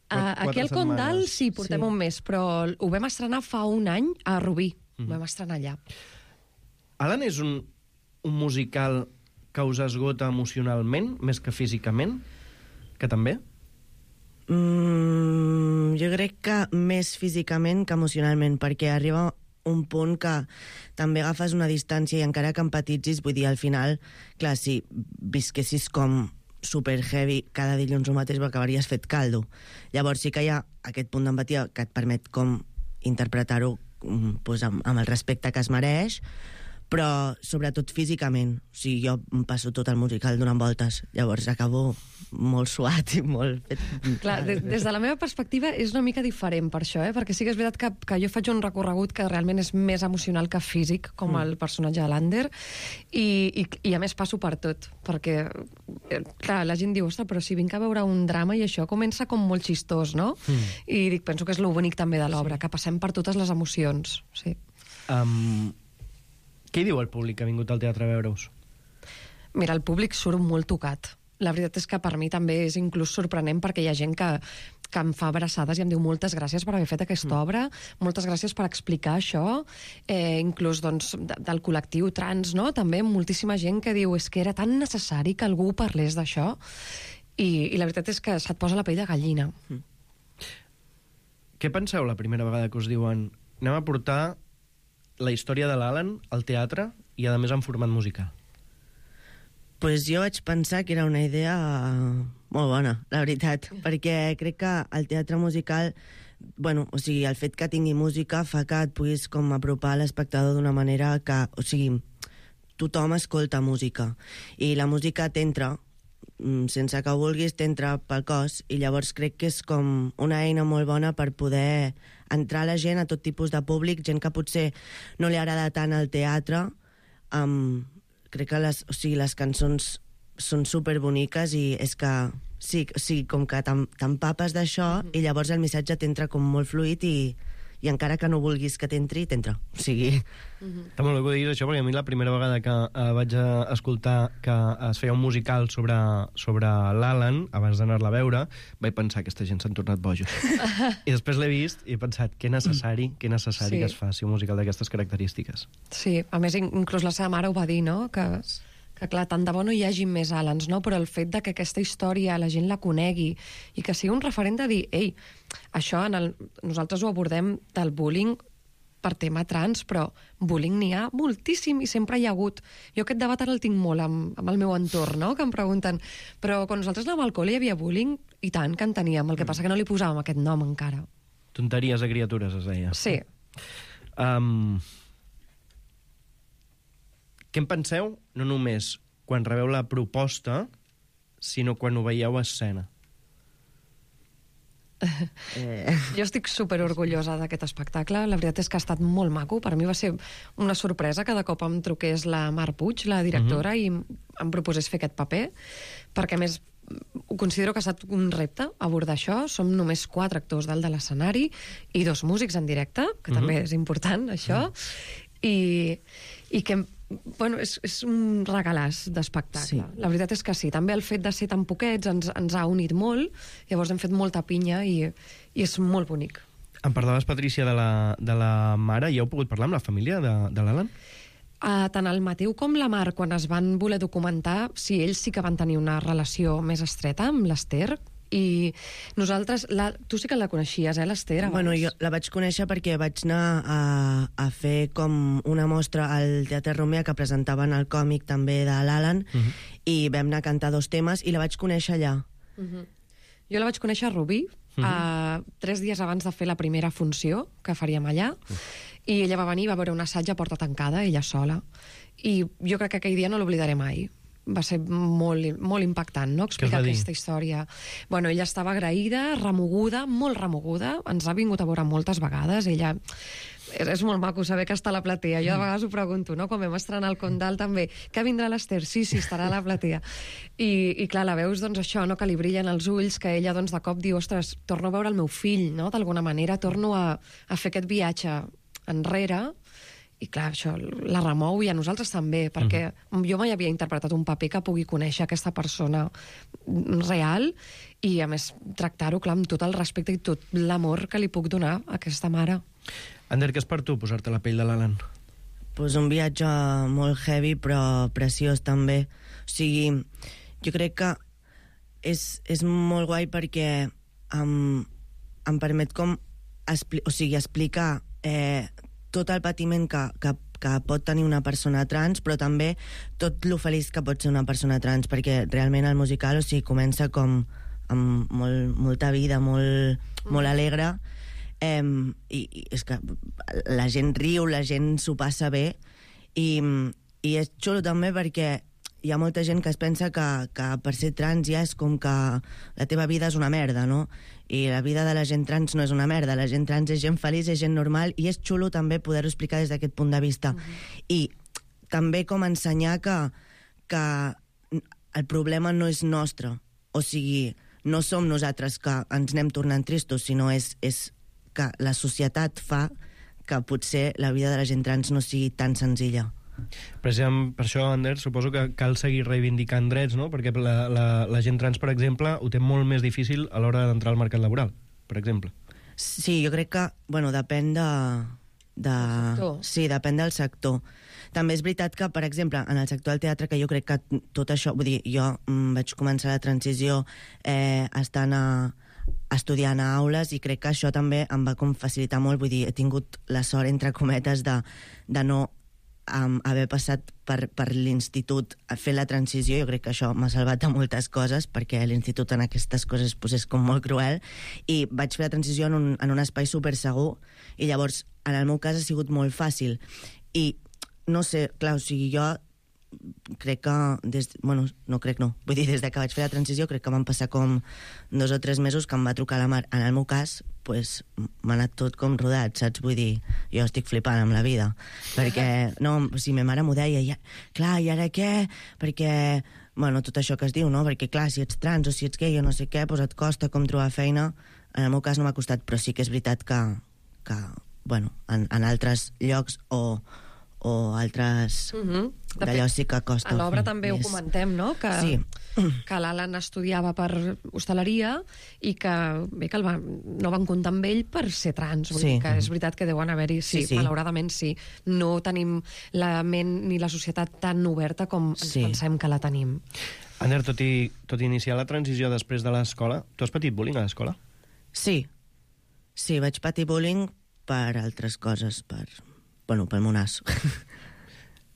Aquí al Condal sí, portem un mes, però ho vam estrenar fa un any a Rubí. Ho vam estrenar allà. Alan és un musical que us esgota emocionalment, més que físicament? Que també? Jo crec que més físicament que emocionalment, perquè arriba un punt que també agafes una distància i encara que empatitzis, vull dir, al final, clar, si visquessis com super heavy cada dilluns el mateix, acabaries fet caldo. Llavors sí que hi ha aquest punt d'empatia que et permet com interpretar-ho doncs, amb el respecte que es mereix, però sobretot físicament. O sigui, jo em passo tot el musical donant voltes, llavors acabo molt suat i molt fet. Clar, des de la meva perspectiva és una mica diferent per això, perquè sí que és veritat que jo faig un recorregut que realment és més emocional que físic, com el personatge de l'Ander, i a més passo per tot, perquè clar, la gent diu, ostres, però si vinc a veure un drama i això comença com molt xistós, no? I dic, penso que és lo bonic també de l'obra, que passem per totes les emocions, sí. Què diu el públic que ha vingut al teatre a veure-us? Mira, el públic surt molt tocat. La veritat és que per mi també és inclús sorprenent perquè hi ha gent que em fa abraçades i em diu moltes gràcies per haver fet aquesta obra, moltes gràcies per explicar això, inclús doncs, del col·lectiu trans, no? També moltíssima gent que diu és que era tan necessari que algú parlés d'això i la veritat és que se't posa la pell de gallina. Què penseu la primera vegada que us diuen anem a portar la història de l'Alan al teatre i, a més, en format musical? Pues jo vaig pensar que era una idea molt bona, la veritat, perquè crec que el teatre musical, bueno, o sigui, el fet que tingui música fa que et puguis com apropar a l'espectador d'una manera que, o sigui, tothom escolta música i la música t'entra, sense que ho vulguis, t'entra pel cos, i llavors crec que és com una eina molt bona per poder entrar la gent, a tot tipus de públic, gent que potser no li agrada tant el teatre. Crec que les cançons són superboniques i és que sí, com que t'empapes d'això i llavors el missatge t'entra com molt fluid i encara que no vulguis que t'entri, t'entra. O sigui... Està molt bé que ho diguis això, perquè a mi la primera vegada que vaig escoltar que es feia un musical sobre l'Alan, abans d'anar-la a veure, vaig pensar que aquesta gent s'han tornat bojos. I després l'he vist i he pensat que necessari que es faci un musical d'aquestes característiques. Sí, a més, inclús la seva mare ho va dir, no?, que clar, tant de bo no hi hagi més Alans, no? Però el fet de que aquesta història la gent la conegui i que sigui un referent de dir, ei, això nosaltres ho abordem del bullying per tema trans, però bullying n'hi ha moltíssim i sempre hi ha hagut. Jo aquest debat ara el tinc molt amb el meu entorn, no?, que em pregunten, però quan nosaltres anàvem al col·le hi havia bullying? I tant que en teníem, el que passa que no li posàvem aquest nom encara. Tonteries de criatures, es deia. Sí. Què en penseu, no només quan rebeu la proposta, sinó quan ho veieu a escena? Jo estic superorgullosa d'aquest espectacle. La veritat és que ha estat molt maco. Per mi va ser una sorpresa que de cop em truqués la Mar Puig, la directora, i em proposés fer aquest paper, perquè a més ho considero que ha estat un repte abordar això. Som només 4 actors dalt de l'escenari i 2 músics en directe, que també és important, això, i que, bueno, és un regalàs d'espectacle. Sí. La veritat és que sí. També el fet de ser tan poquets ens ha unit molt, llavors hem fet molta pinya i és molt bonic. Em parlaves, Patrícia, de la mare, i heu pogut parlar amb la família de l'Alan? Tant el Mateu com la Mar, quan es van voler documentar, sí, ells sí que van tenir una relació més estreta amb l'Ester, i nosaltres... Tu sí que la coneixies, l'Ester, abans? Bueno, jo la vaig conèixer perquè vaig anar a fer com una mostra al Teatre Romea que presentaven el còmic també de l'Alan, i vam anar a cantar 2 temes i la vaig conèixer allà. Jo la vaig conèixer a Rubí, 3 dies abans de fer la primera funció que faríem allà, i ella va venir i va veure un assaig a porta tancada, ella sola, i jo crec que aquell dia no l'oblidaré mai. Va ser molt, molt impactant, no?, explicar aquesta història. Bueno, ella estava agraïda, remoguda, molt remoguda, ens ha vingut a veure moltes vegades, ella... És molt maco saber que està a la platea. Jo de vegades ho pregunto, no?, quan vam estrenar el Condal també, que vindrà l'Ester? Sí, estarà a la platea. I clar, la veus, doncs això, no?, que li brillen els ulls, que ella, doncs, de cop diu, ostres, torno a veure el meu fill, no?, d'alguna manera, torno a fer aquest viatge enrere. I clar, això la remou, i a nosaltres també, perquè jo mai havia interpretat un paper que pugui conèixer aquesta persona real i, a més, tractar-ho, clar, amb tot el respecte i tot l'amor que li puc donar a aquesta mare. Ander, què és per tu posar-te la pell de l'Alan? Pues un viatge molt heavy, però preciós també. O sigui, jo crec que és molt guai perquè em permet com explicar tot el patiment que pot tenir una persona trans, però també tot lo feliç que pot ser una persona trans, perquè realment el musical, o sigui, comença com amb molta vida, molt alegre, i és que la gent riu, la gent s'ho passa bé, i és xulo també perquè hi ha molta gent que es pensa que per ser trans ja és com que la teva vida és una merda, no? I la vida de la gent trans no és una merda, la gent trans és gent feliç, és gent normal, i és xulo també poder-ho explicar des d'aquest punt de vista. I també com ensenyar que el problema no és nostre, o sigui, no som nosaltres que ens anem tornant tristos, sinó és que la societat fa que potser la vida de la gent trans no sigui tan senzilla. Precisament per això, Ander, suposo que cal seguir reivindicant drets, no? Perquè la gent trans, per exemple, ho té molt més difícil a l'hora d'entrar al mercat laboral, per exemple. Sí, jo crec que, bueno, depèn sí, depèn del sector. També és veritat que, per exemple, en el sector del teatre, que jo crec que tot això... Vull dir, jo vaig començar la transició estant estudiant a aules, i crec que això també em va com facilitar molt. Vull dir, he tingut la sort, entre cometes, de no haver passat per l'institut a fer la transició. Jo crec que això m'ha salvat de moltes coses, perquè l'institut en aquestes coses pues, és com molt cruel, i vaig fer la transició en un espai supersegur, i llavors en el meu cas ha sigut molt fàcil. I no sé, clar, o sigui, jo crec que vull dir, des de que vaig fer la transició crec que van passar com 2 o 3 mesos que em va trucar la Mar. En el meu cas, pues, m'ha anat tot com rodat, saps? Vull dir, jo estic flipant amb la vida, perquè, no, si ma mare m'ho deia, clar, i ara què? Perquè, bueno, tot això que es diu, no? Perquè, clar, si ets trans o si ets gay o no sé què, pues et costa com trobar feina. En el meu cas no m'ha costat, però sí que és veritat que bueno, en altres llocs o altres... D'allò sí que costa. A l'obra també ho comentem, no? Que l'Alan estudiava per hostaleria i que no van comptar amb ell per ser trans. Vull dir que és veritat que deuen haver-hi... Sí, malauradament sí. No tenim la ment ni la societat tan oberta com ens pensem que la tenim. Ander, tot i iniciar la transició després de l'escola, tu has patit bullying a l'escola? Sí, vaig patir bullying per altres coses, pel meu nas.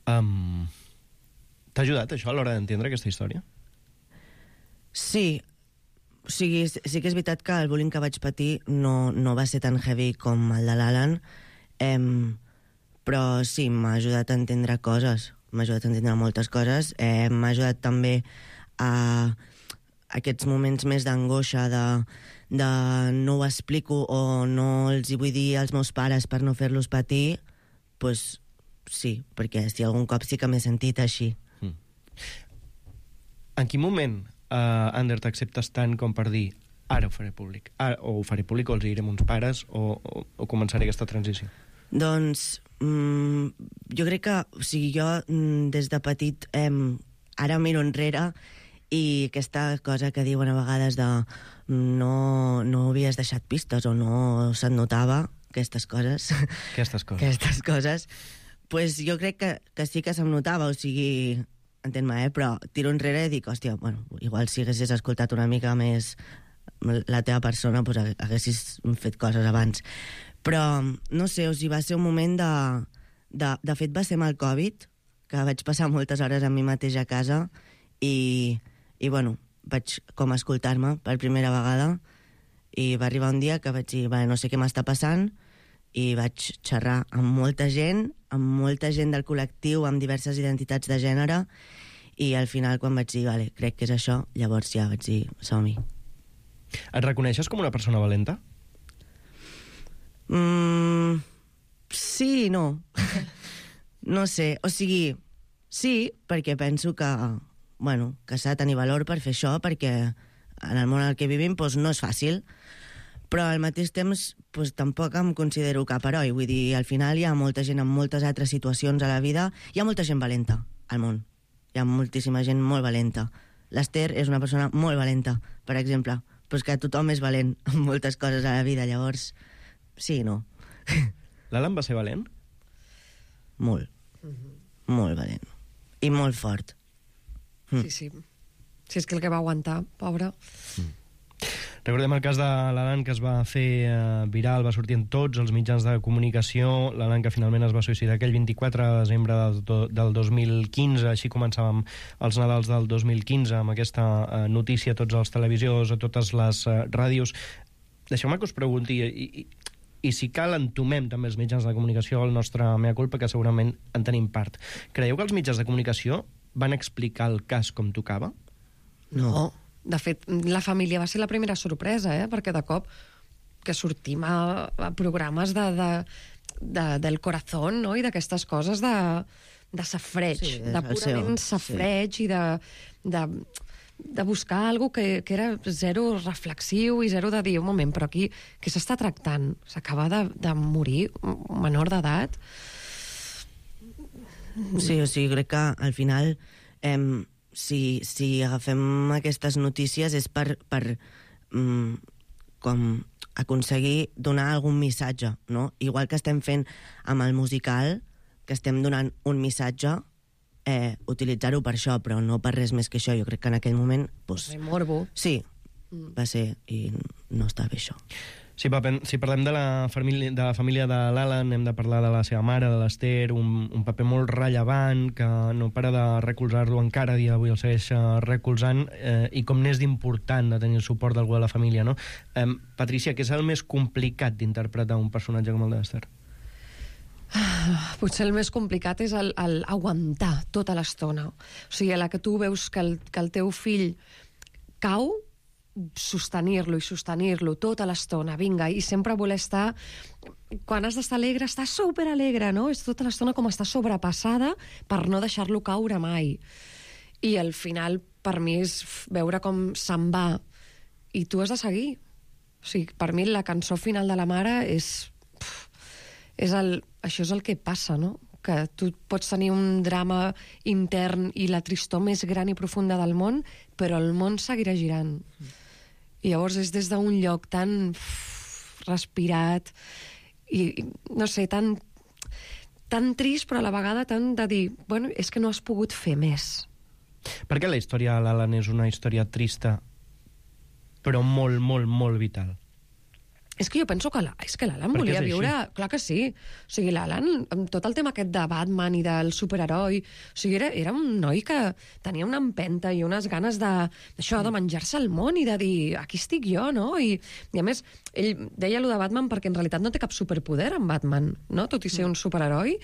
T'ha ajudat això a l'hora d'entendre aquesta història? Sí. O sigui, sí que és veritat que el bullying que vaig patir no va ser tan heavy com el de l'Alan, però sí, m'ha ajudat a entendre coses. M'ha ajudat a entendre moltes coses. M'ha ajudat també a aquests moments més d'angoixa, de no ho explico o no els hi vull dir als meus pares per no fer-los patir, doncs sí, perquè si algun cop sí que m'he sentit així. En quin moment, Ander, t'acceptes tant com per dir ara ho faré públic? O ho faré públic, o els diré a uns pares, o començaré aquesta transició? Doncs jo crec que, o sigui, jo des de petit ara miro enrere i aquesta cosa que diuen a vegades de no havies deixat pistes o no se't notava, aquestes coses. Aquestes coses. Pues jo crec que sí que se'm notava, o sigui, entén-me, però tiro enrere i dic, hòstia, bueno, igual si haguessis escoltat una mica més la teva persona, pues haguessis fet coses abans. Però, no sé, o sigui, va ser un moment de fet, va ser amb el Covid, que vaig passar moltes hores amb mi mateix a casa i bueno, vaig com escoltar-me per primera vegada i va arribar un dia que vaig dir, no sé què m'està passant, i vaig xerrar amb molta gent del col·lectiu, amb diverses identitats de gènere, i al final quan vaig dir, vale, crec que és això, llavors ja vaig dir, som-hi. Et reconeixes com una persona valenta? Sí i no. No sé, o sigui, sí, perquè penso que s'ha de tenir valor per fer això, perquè en el món en què vivim no és fàcil, però al mateix temps tampoc em considero cap heroi. Vull dir, al final hi ha molta gent en moltes altres situacions a la vida, hi ha molta gent valenta al món, hi ha moltíssima gent molt valenta. L'Ester és una persona molt valenta, per exemple, però és que tothom és valent en moltes coses a la vida, llavors sí i no. L'Alan va ser valent? Molt. Molt valent. I molt fort. Sí. Si és que el que va aguantar, pobre. Recordem el cas de l'Alan, que es va fer viral, va sortir en tots els mitjans de comunicació, l'Alan que finalment es va suïcidar aquell 24 de desembre del 2015, així començàvem els Nadals del 2015, amb aquesta notícia a tots els televisors, a totes les ràdios. Deixeu-me que us pregunti, i si cal entomem també els mitjans de comunicació el nostre mea culpa, que segurament en tenim part. Creieu que els mitjans de comunicació van explicar el cas com tocava? No. De fet, la família va ser la primera sorpresa, perquè de cop que sortim a programes del corazón, no? I d'aquestes coses de safreig, de purament safreig i de buscar alguna cosa que era zero reflexiu i zero de dir, un moment, però aquí què s'està tractant? S'acaba de morir un menor d'edat? Sí, o sigui, crec que al final si agafem aquestes notícies és per com aconseguir donar algun missatge, no? Igual que estem fent amb el musical, que estem donant un missatge, utilitzar-ho per això, però no per res més que això. Jo crec que en aquell moment... Morbo. Sí, va ser, i no està bé això. Si parlem de la família de l'Alan, hem de parlar de la seva mare, de l'Ester, un paper molt rellevant que no para de recolzar-lo encara a dia d'avui, el segueix recolzant, i com n'és d'important de tenir el suport d'algú de la família, no? Patrícia, què és el més complicat d'interpretar un personatge com el d'Ester? Potser el més complicat és el aguantar tota l'estona. O sigui, a la que tu veus que el teu fill cau, sostenir-lo tota l'estona, vinga, i sempre voler estar, quan has d'estar alegre, estar superalegre, no? És tota l'estona com estar sobrepassada per no deixar-lo caure mai. I al final, per mi, és veure com se'n va i tu has de seguir. O sigui, per mi la cançó final de la mare això és el que passa, no? Que tu pots tenir un drama intern i la tristor més gran i profunda del món, però el món seguirà girant. I llavors és des d'un lloc tan respirat i, no sé, tan trist, però a la vegada tan de dir, bueno, és que no has pogut fer més. Per què la història de l'Alan és una història trista, però molt, molt, molt vital? És que jo penso que l'Alan volia viure... Clar que sí. O sigui, l'Alan, amb tot el tema aquest de Batman i del superheroi, o sigui, era un noi que tenia una empenta i unes ganes d'això, de menjar-se el món i de dir, aquí estic jo, no? I a més, ell deia allò de Batman perquè en realitat no té cap superpoder en Batman, no? Tot i ser un superheroi.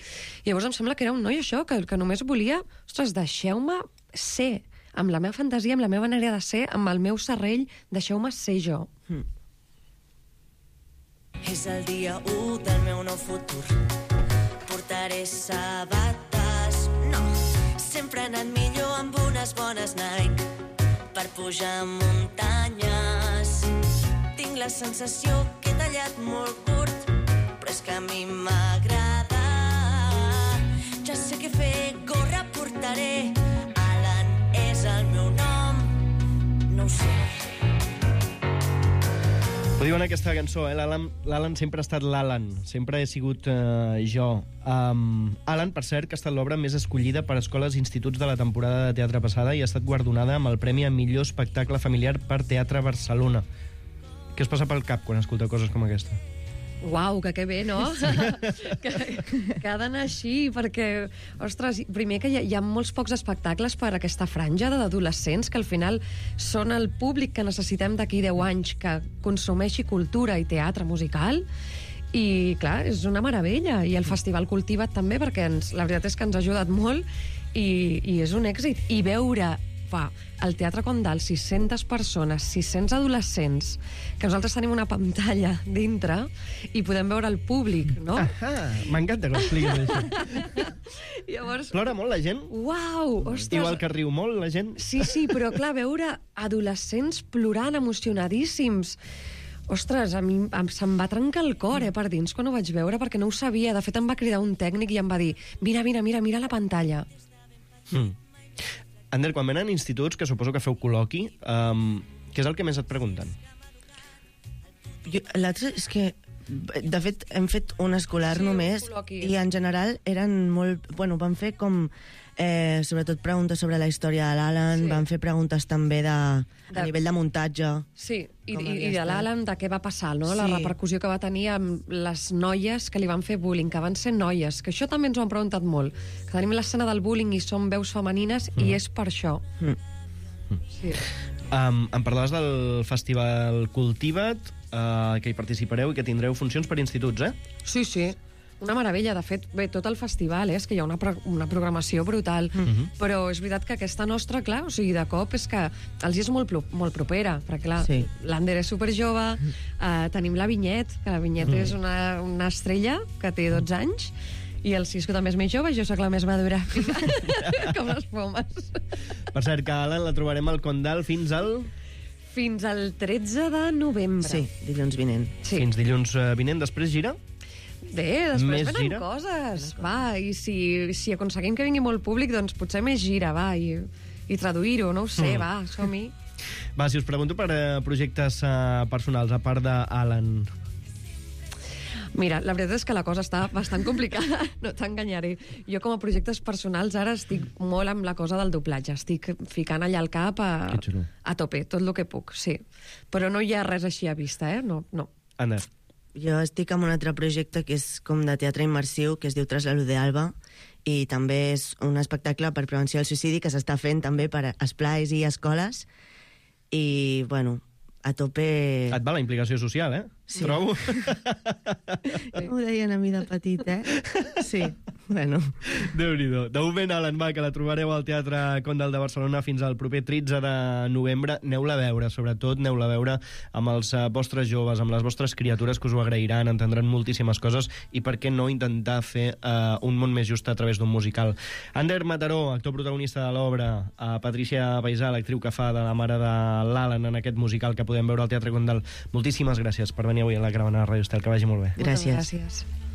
I llavors em sembla que era un noi això, que només volia, ostres, deixeu-me ser, amb la meva fantasia, amb la meva manera de ser, amb el meu serrell, deixeu-me ser jo. És el dia 1 del meu nou futur. Portaré sabates, no. Sempre he anat millor amb unes bones Nike per pujar muntanyes. Tinc la sensació que he tallat molt curt, però és que a mi m'agrada. Ja sé què fer, gorra portaré. Alan és el meu nom, no ho sé. Ho diu en aquesta cançó, l'Alan sempre ha estat l'Alan, sempre he sigut jo. Alan, per cert, que ha estat l'obra més escollida per escoles i instituts de la temporada de teatre passada i ha estat guardonada amb el Premi a Millor Espectacle Familiar per Teatre Barcelona. Què es passa pel cap quan escolta coses com aquesta? Uau, que bé, no? que ha d'anar així, perquè, ostres, primer que hi ha molts pocs espectacles per a aquesta franja d'adolescents que al final són el públic que necessitem d'aquí 10 anys que consumeixi cultura i teatre musical. I, clar, és una meravella. I el Festival Cultiva't també, perquè la veritat és que ens ha ajudat molt i és un èxit. I veure al Teatre Condal 600 persones, 600 adolescents, que nosaltres tenim una pantalla dintre i podem veure el públic, no? M'encanta que ho expliquis això. Llavors... Plora molt la gent? Uau, ostres! Igual que riu molt la gent? Sí, però clar, veure adolescents plorant, emocionadíssims. Ostres, a mi se'm va trencar el cor, per dins, quan ho vaig veure, perquè no ho sabia. De fet, em va cridar un tècnic i em va dir mira la pantalla. Ander, quan venen instituts, que suposo que feu col·loqui, què és el que més et pregunten? L'altre és que, de fet, hem fet un escolar només i en general eren molt... Bueno, van fer com... sobretot preguntes sobre la història de l'Alan, van fer preguntes també a nivell de muntatge. Sí, i de l'Alan, de què va passar, no? La repercussió que va tenir amb les noies que li van fer bullying, que van ser noies, que això també ens ho han preguntat molt, que tenim l'escena del bullying i són veus femenines i és per això. Sí. Em parlaves del Festival Cultiva't, que hi participareu i que tindreu funcions per instituts, Sí. Una meravella, de fet, bé, tot el festival, és que hi ha una programació brutal, però és veritat que aquesta nostra, clar, o sigui, de cop és que els és molt propera, perquè clar, l'Ander és superjove, tenim la Vinyet, que la Vinyet és una estrella que té 12 anys, i el Cisco també és més jove, jo sóc la més madura, com les pomes. Per cert, que Alan la trobarem al Condal fins al 13 de novembre. Sí, dilluns vinent. Fins dilluns vinent, després gira? Bé, després venen coses. Va, i si aconseguim que vingui molt públic, doncs potser més gira, va, i traduir-ho, no ho sé, va, som-hi. Va, si us pregunto per projectes personals, a part d'Alan. Mira, la veritat és que la cosa està bastant complicada, no t'enganyaré. Jo com a projectes personals ara estic molt amb la cosa del doblatge, estic ficant allà al cap a tope, tot el que puc, sí. Però no hi ha res així a vista, no. Ander. Jo estic amb un altre projecte que és com de teatre immersiu, que es diu Traslado de Alba, i també és un espectacle per prevenció del suïcidi que s'està fent també per esplais i escoles, i, bueno, a tope... Et va la implicació social, Sí. Trobo. Ho deien a mi de petit, Sí, bueno. Déu-n'hi-do. De moment, Alan, va, que la trobareu al Teatre Condal de Barcelona fins al proper 13 de novembre. Aneu-la a veure, sobretot, aneu-la a veure amb els vostres joves, amb les vostres criatures, que us ho agrairan, entendran moltíssimes coses, i per què no intentar fer un món més just a través d'un musical. Ander Mataró, actor protagonista de l'obra, Patricia Paisà, l'actriu que fa de la mare de l'Alan en aquest musical que podem veure al Teatre Condal. Moltíssimes gràcies per venir avui a la caravana de Ràdio Estel, que vagi molt bé. Gràcies. Gràcies.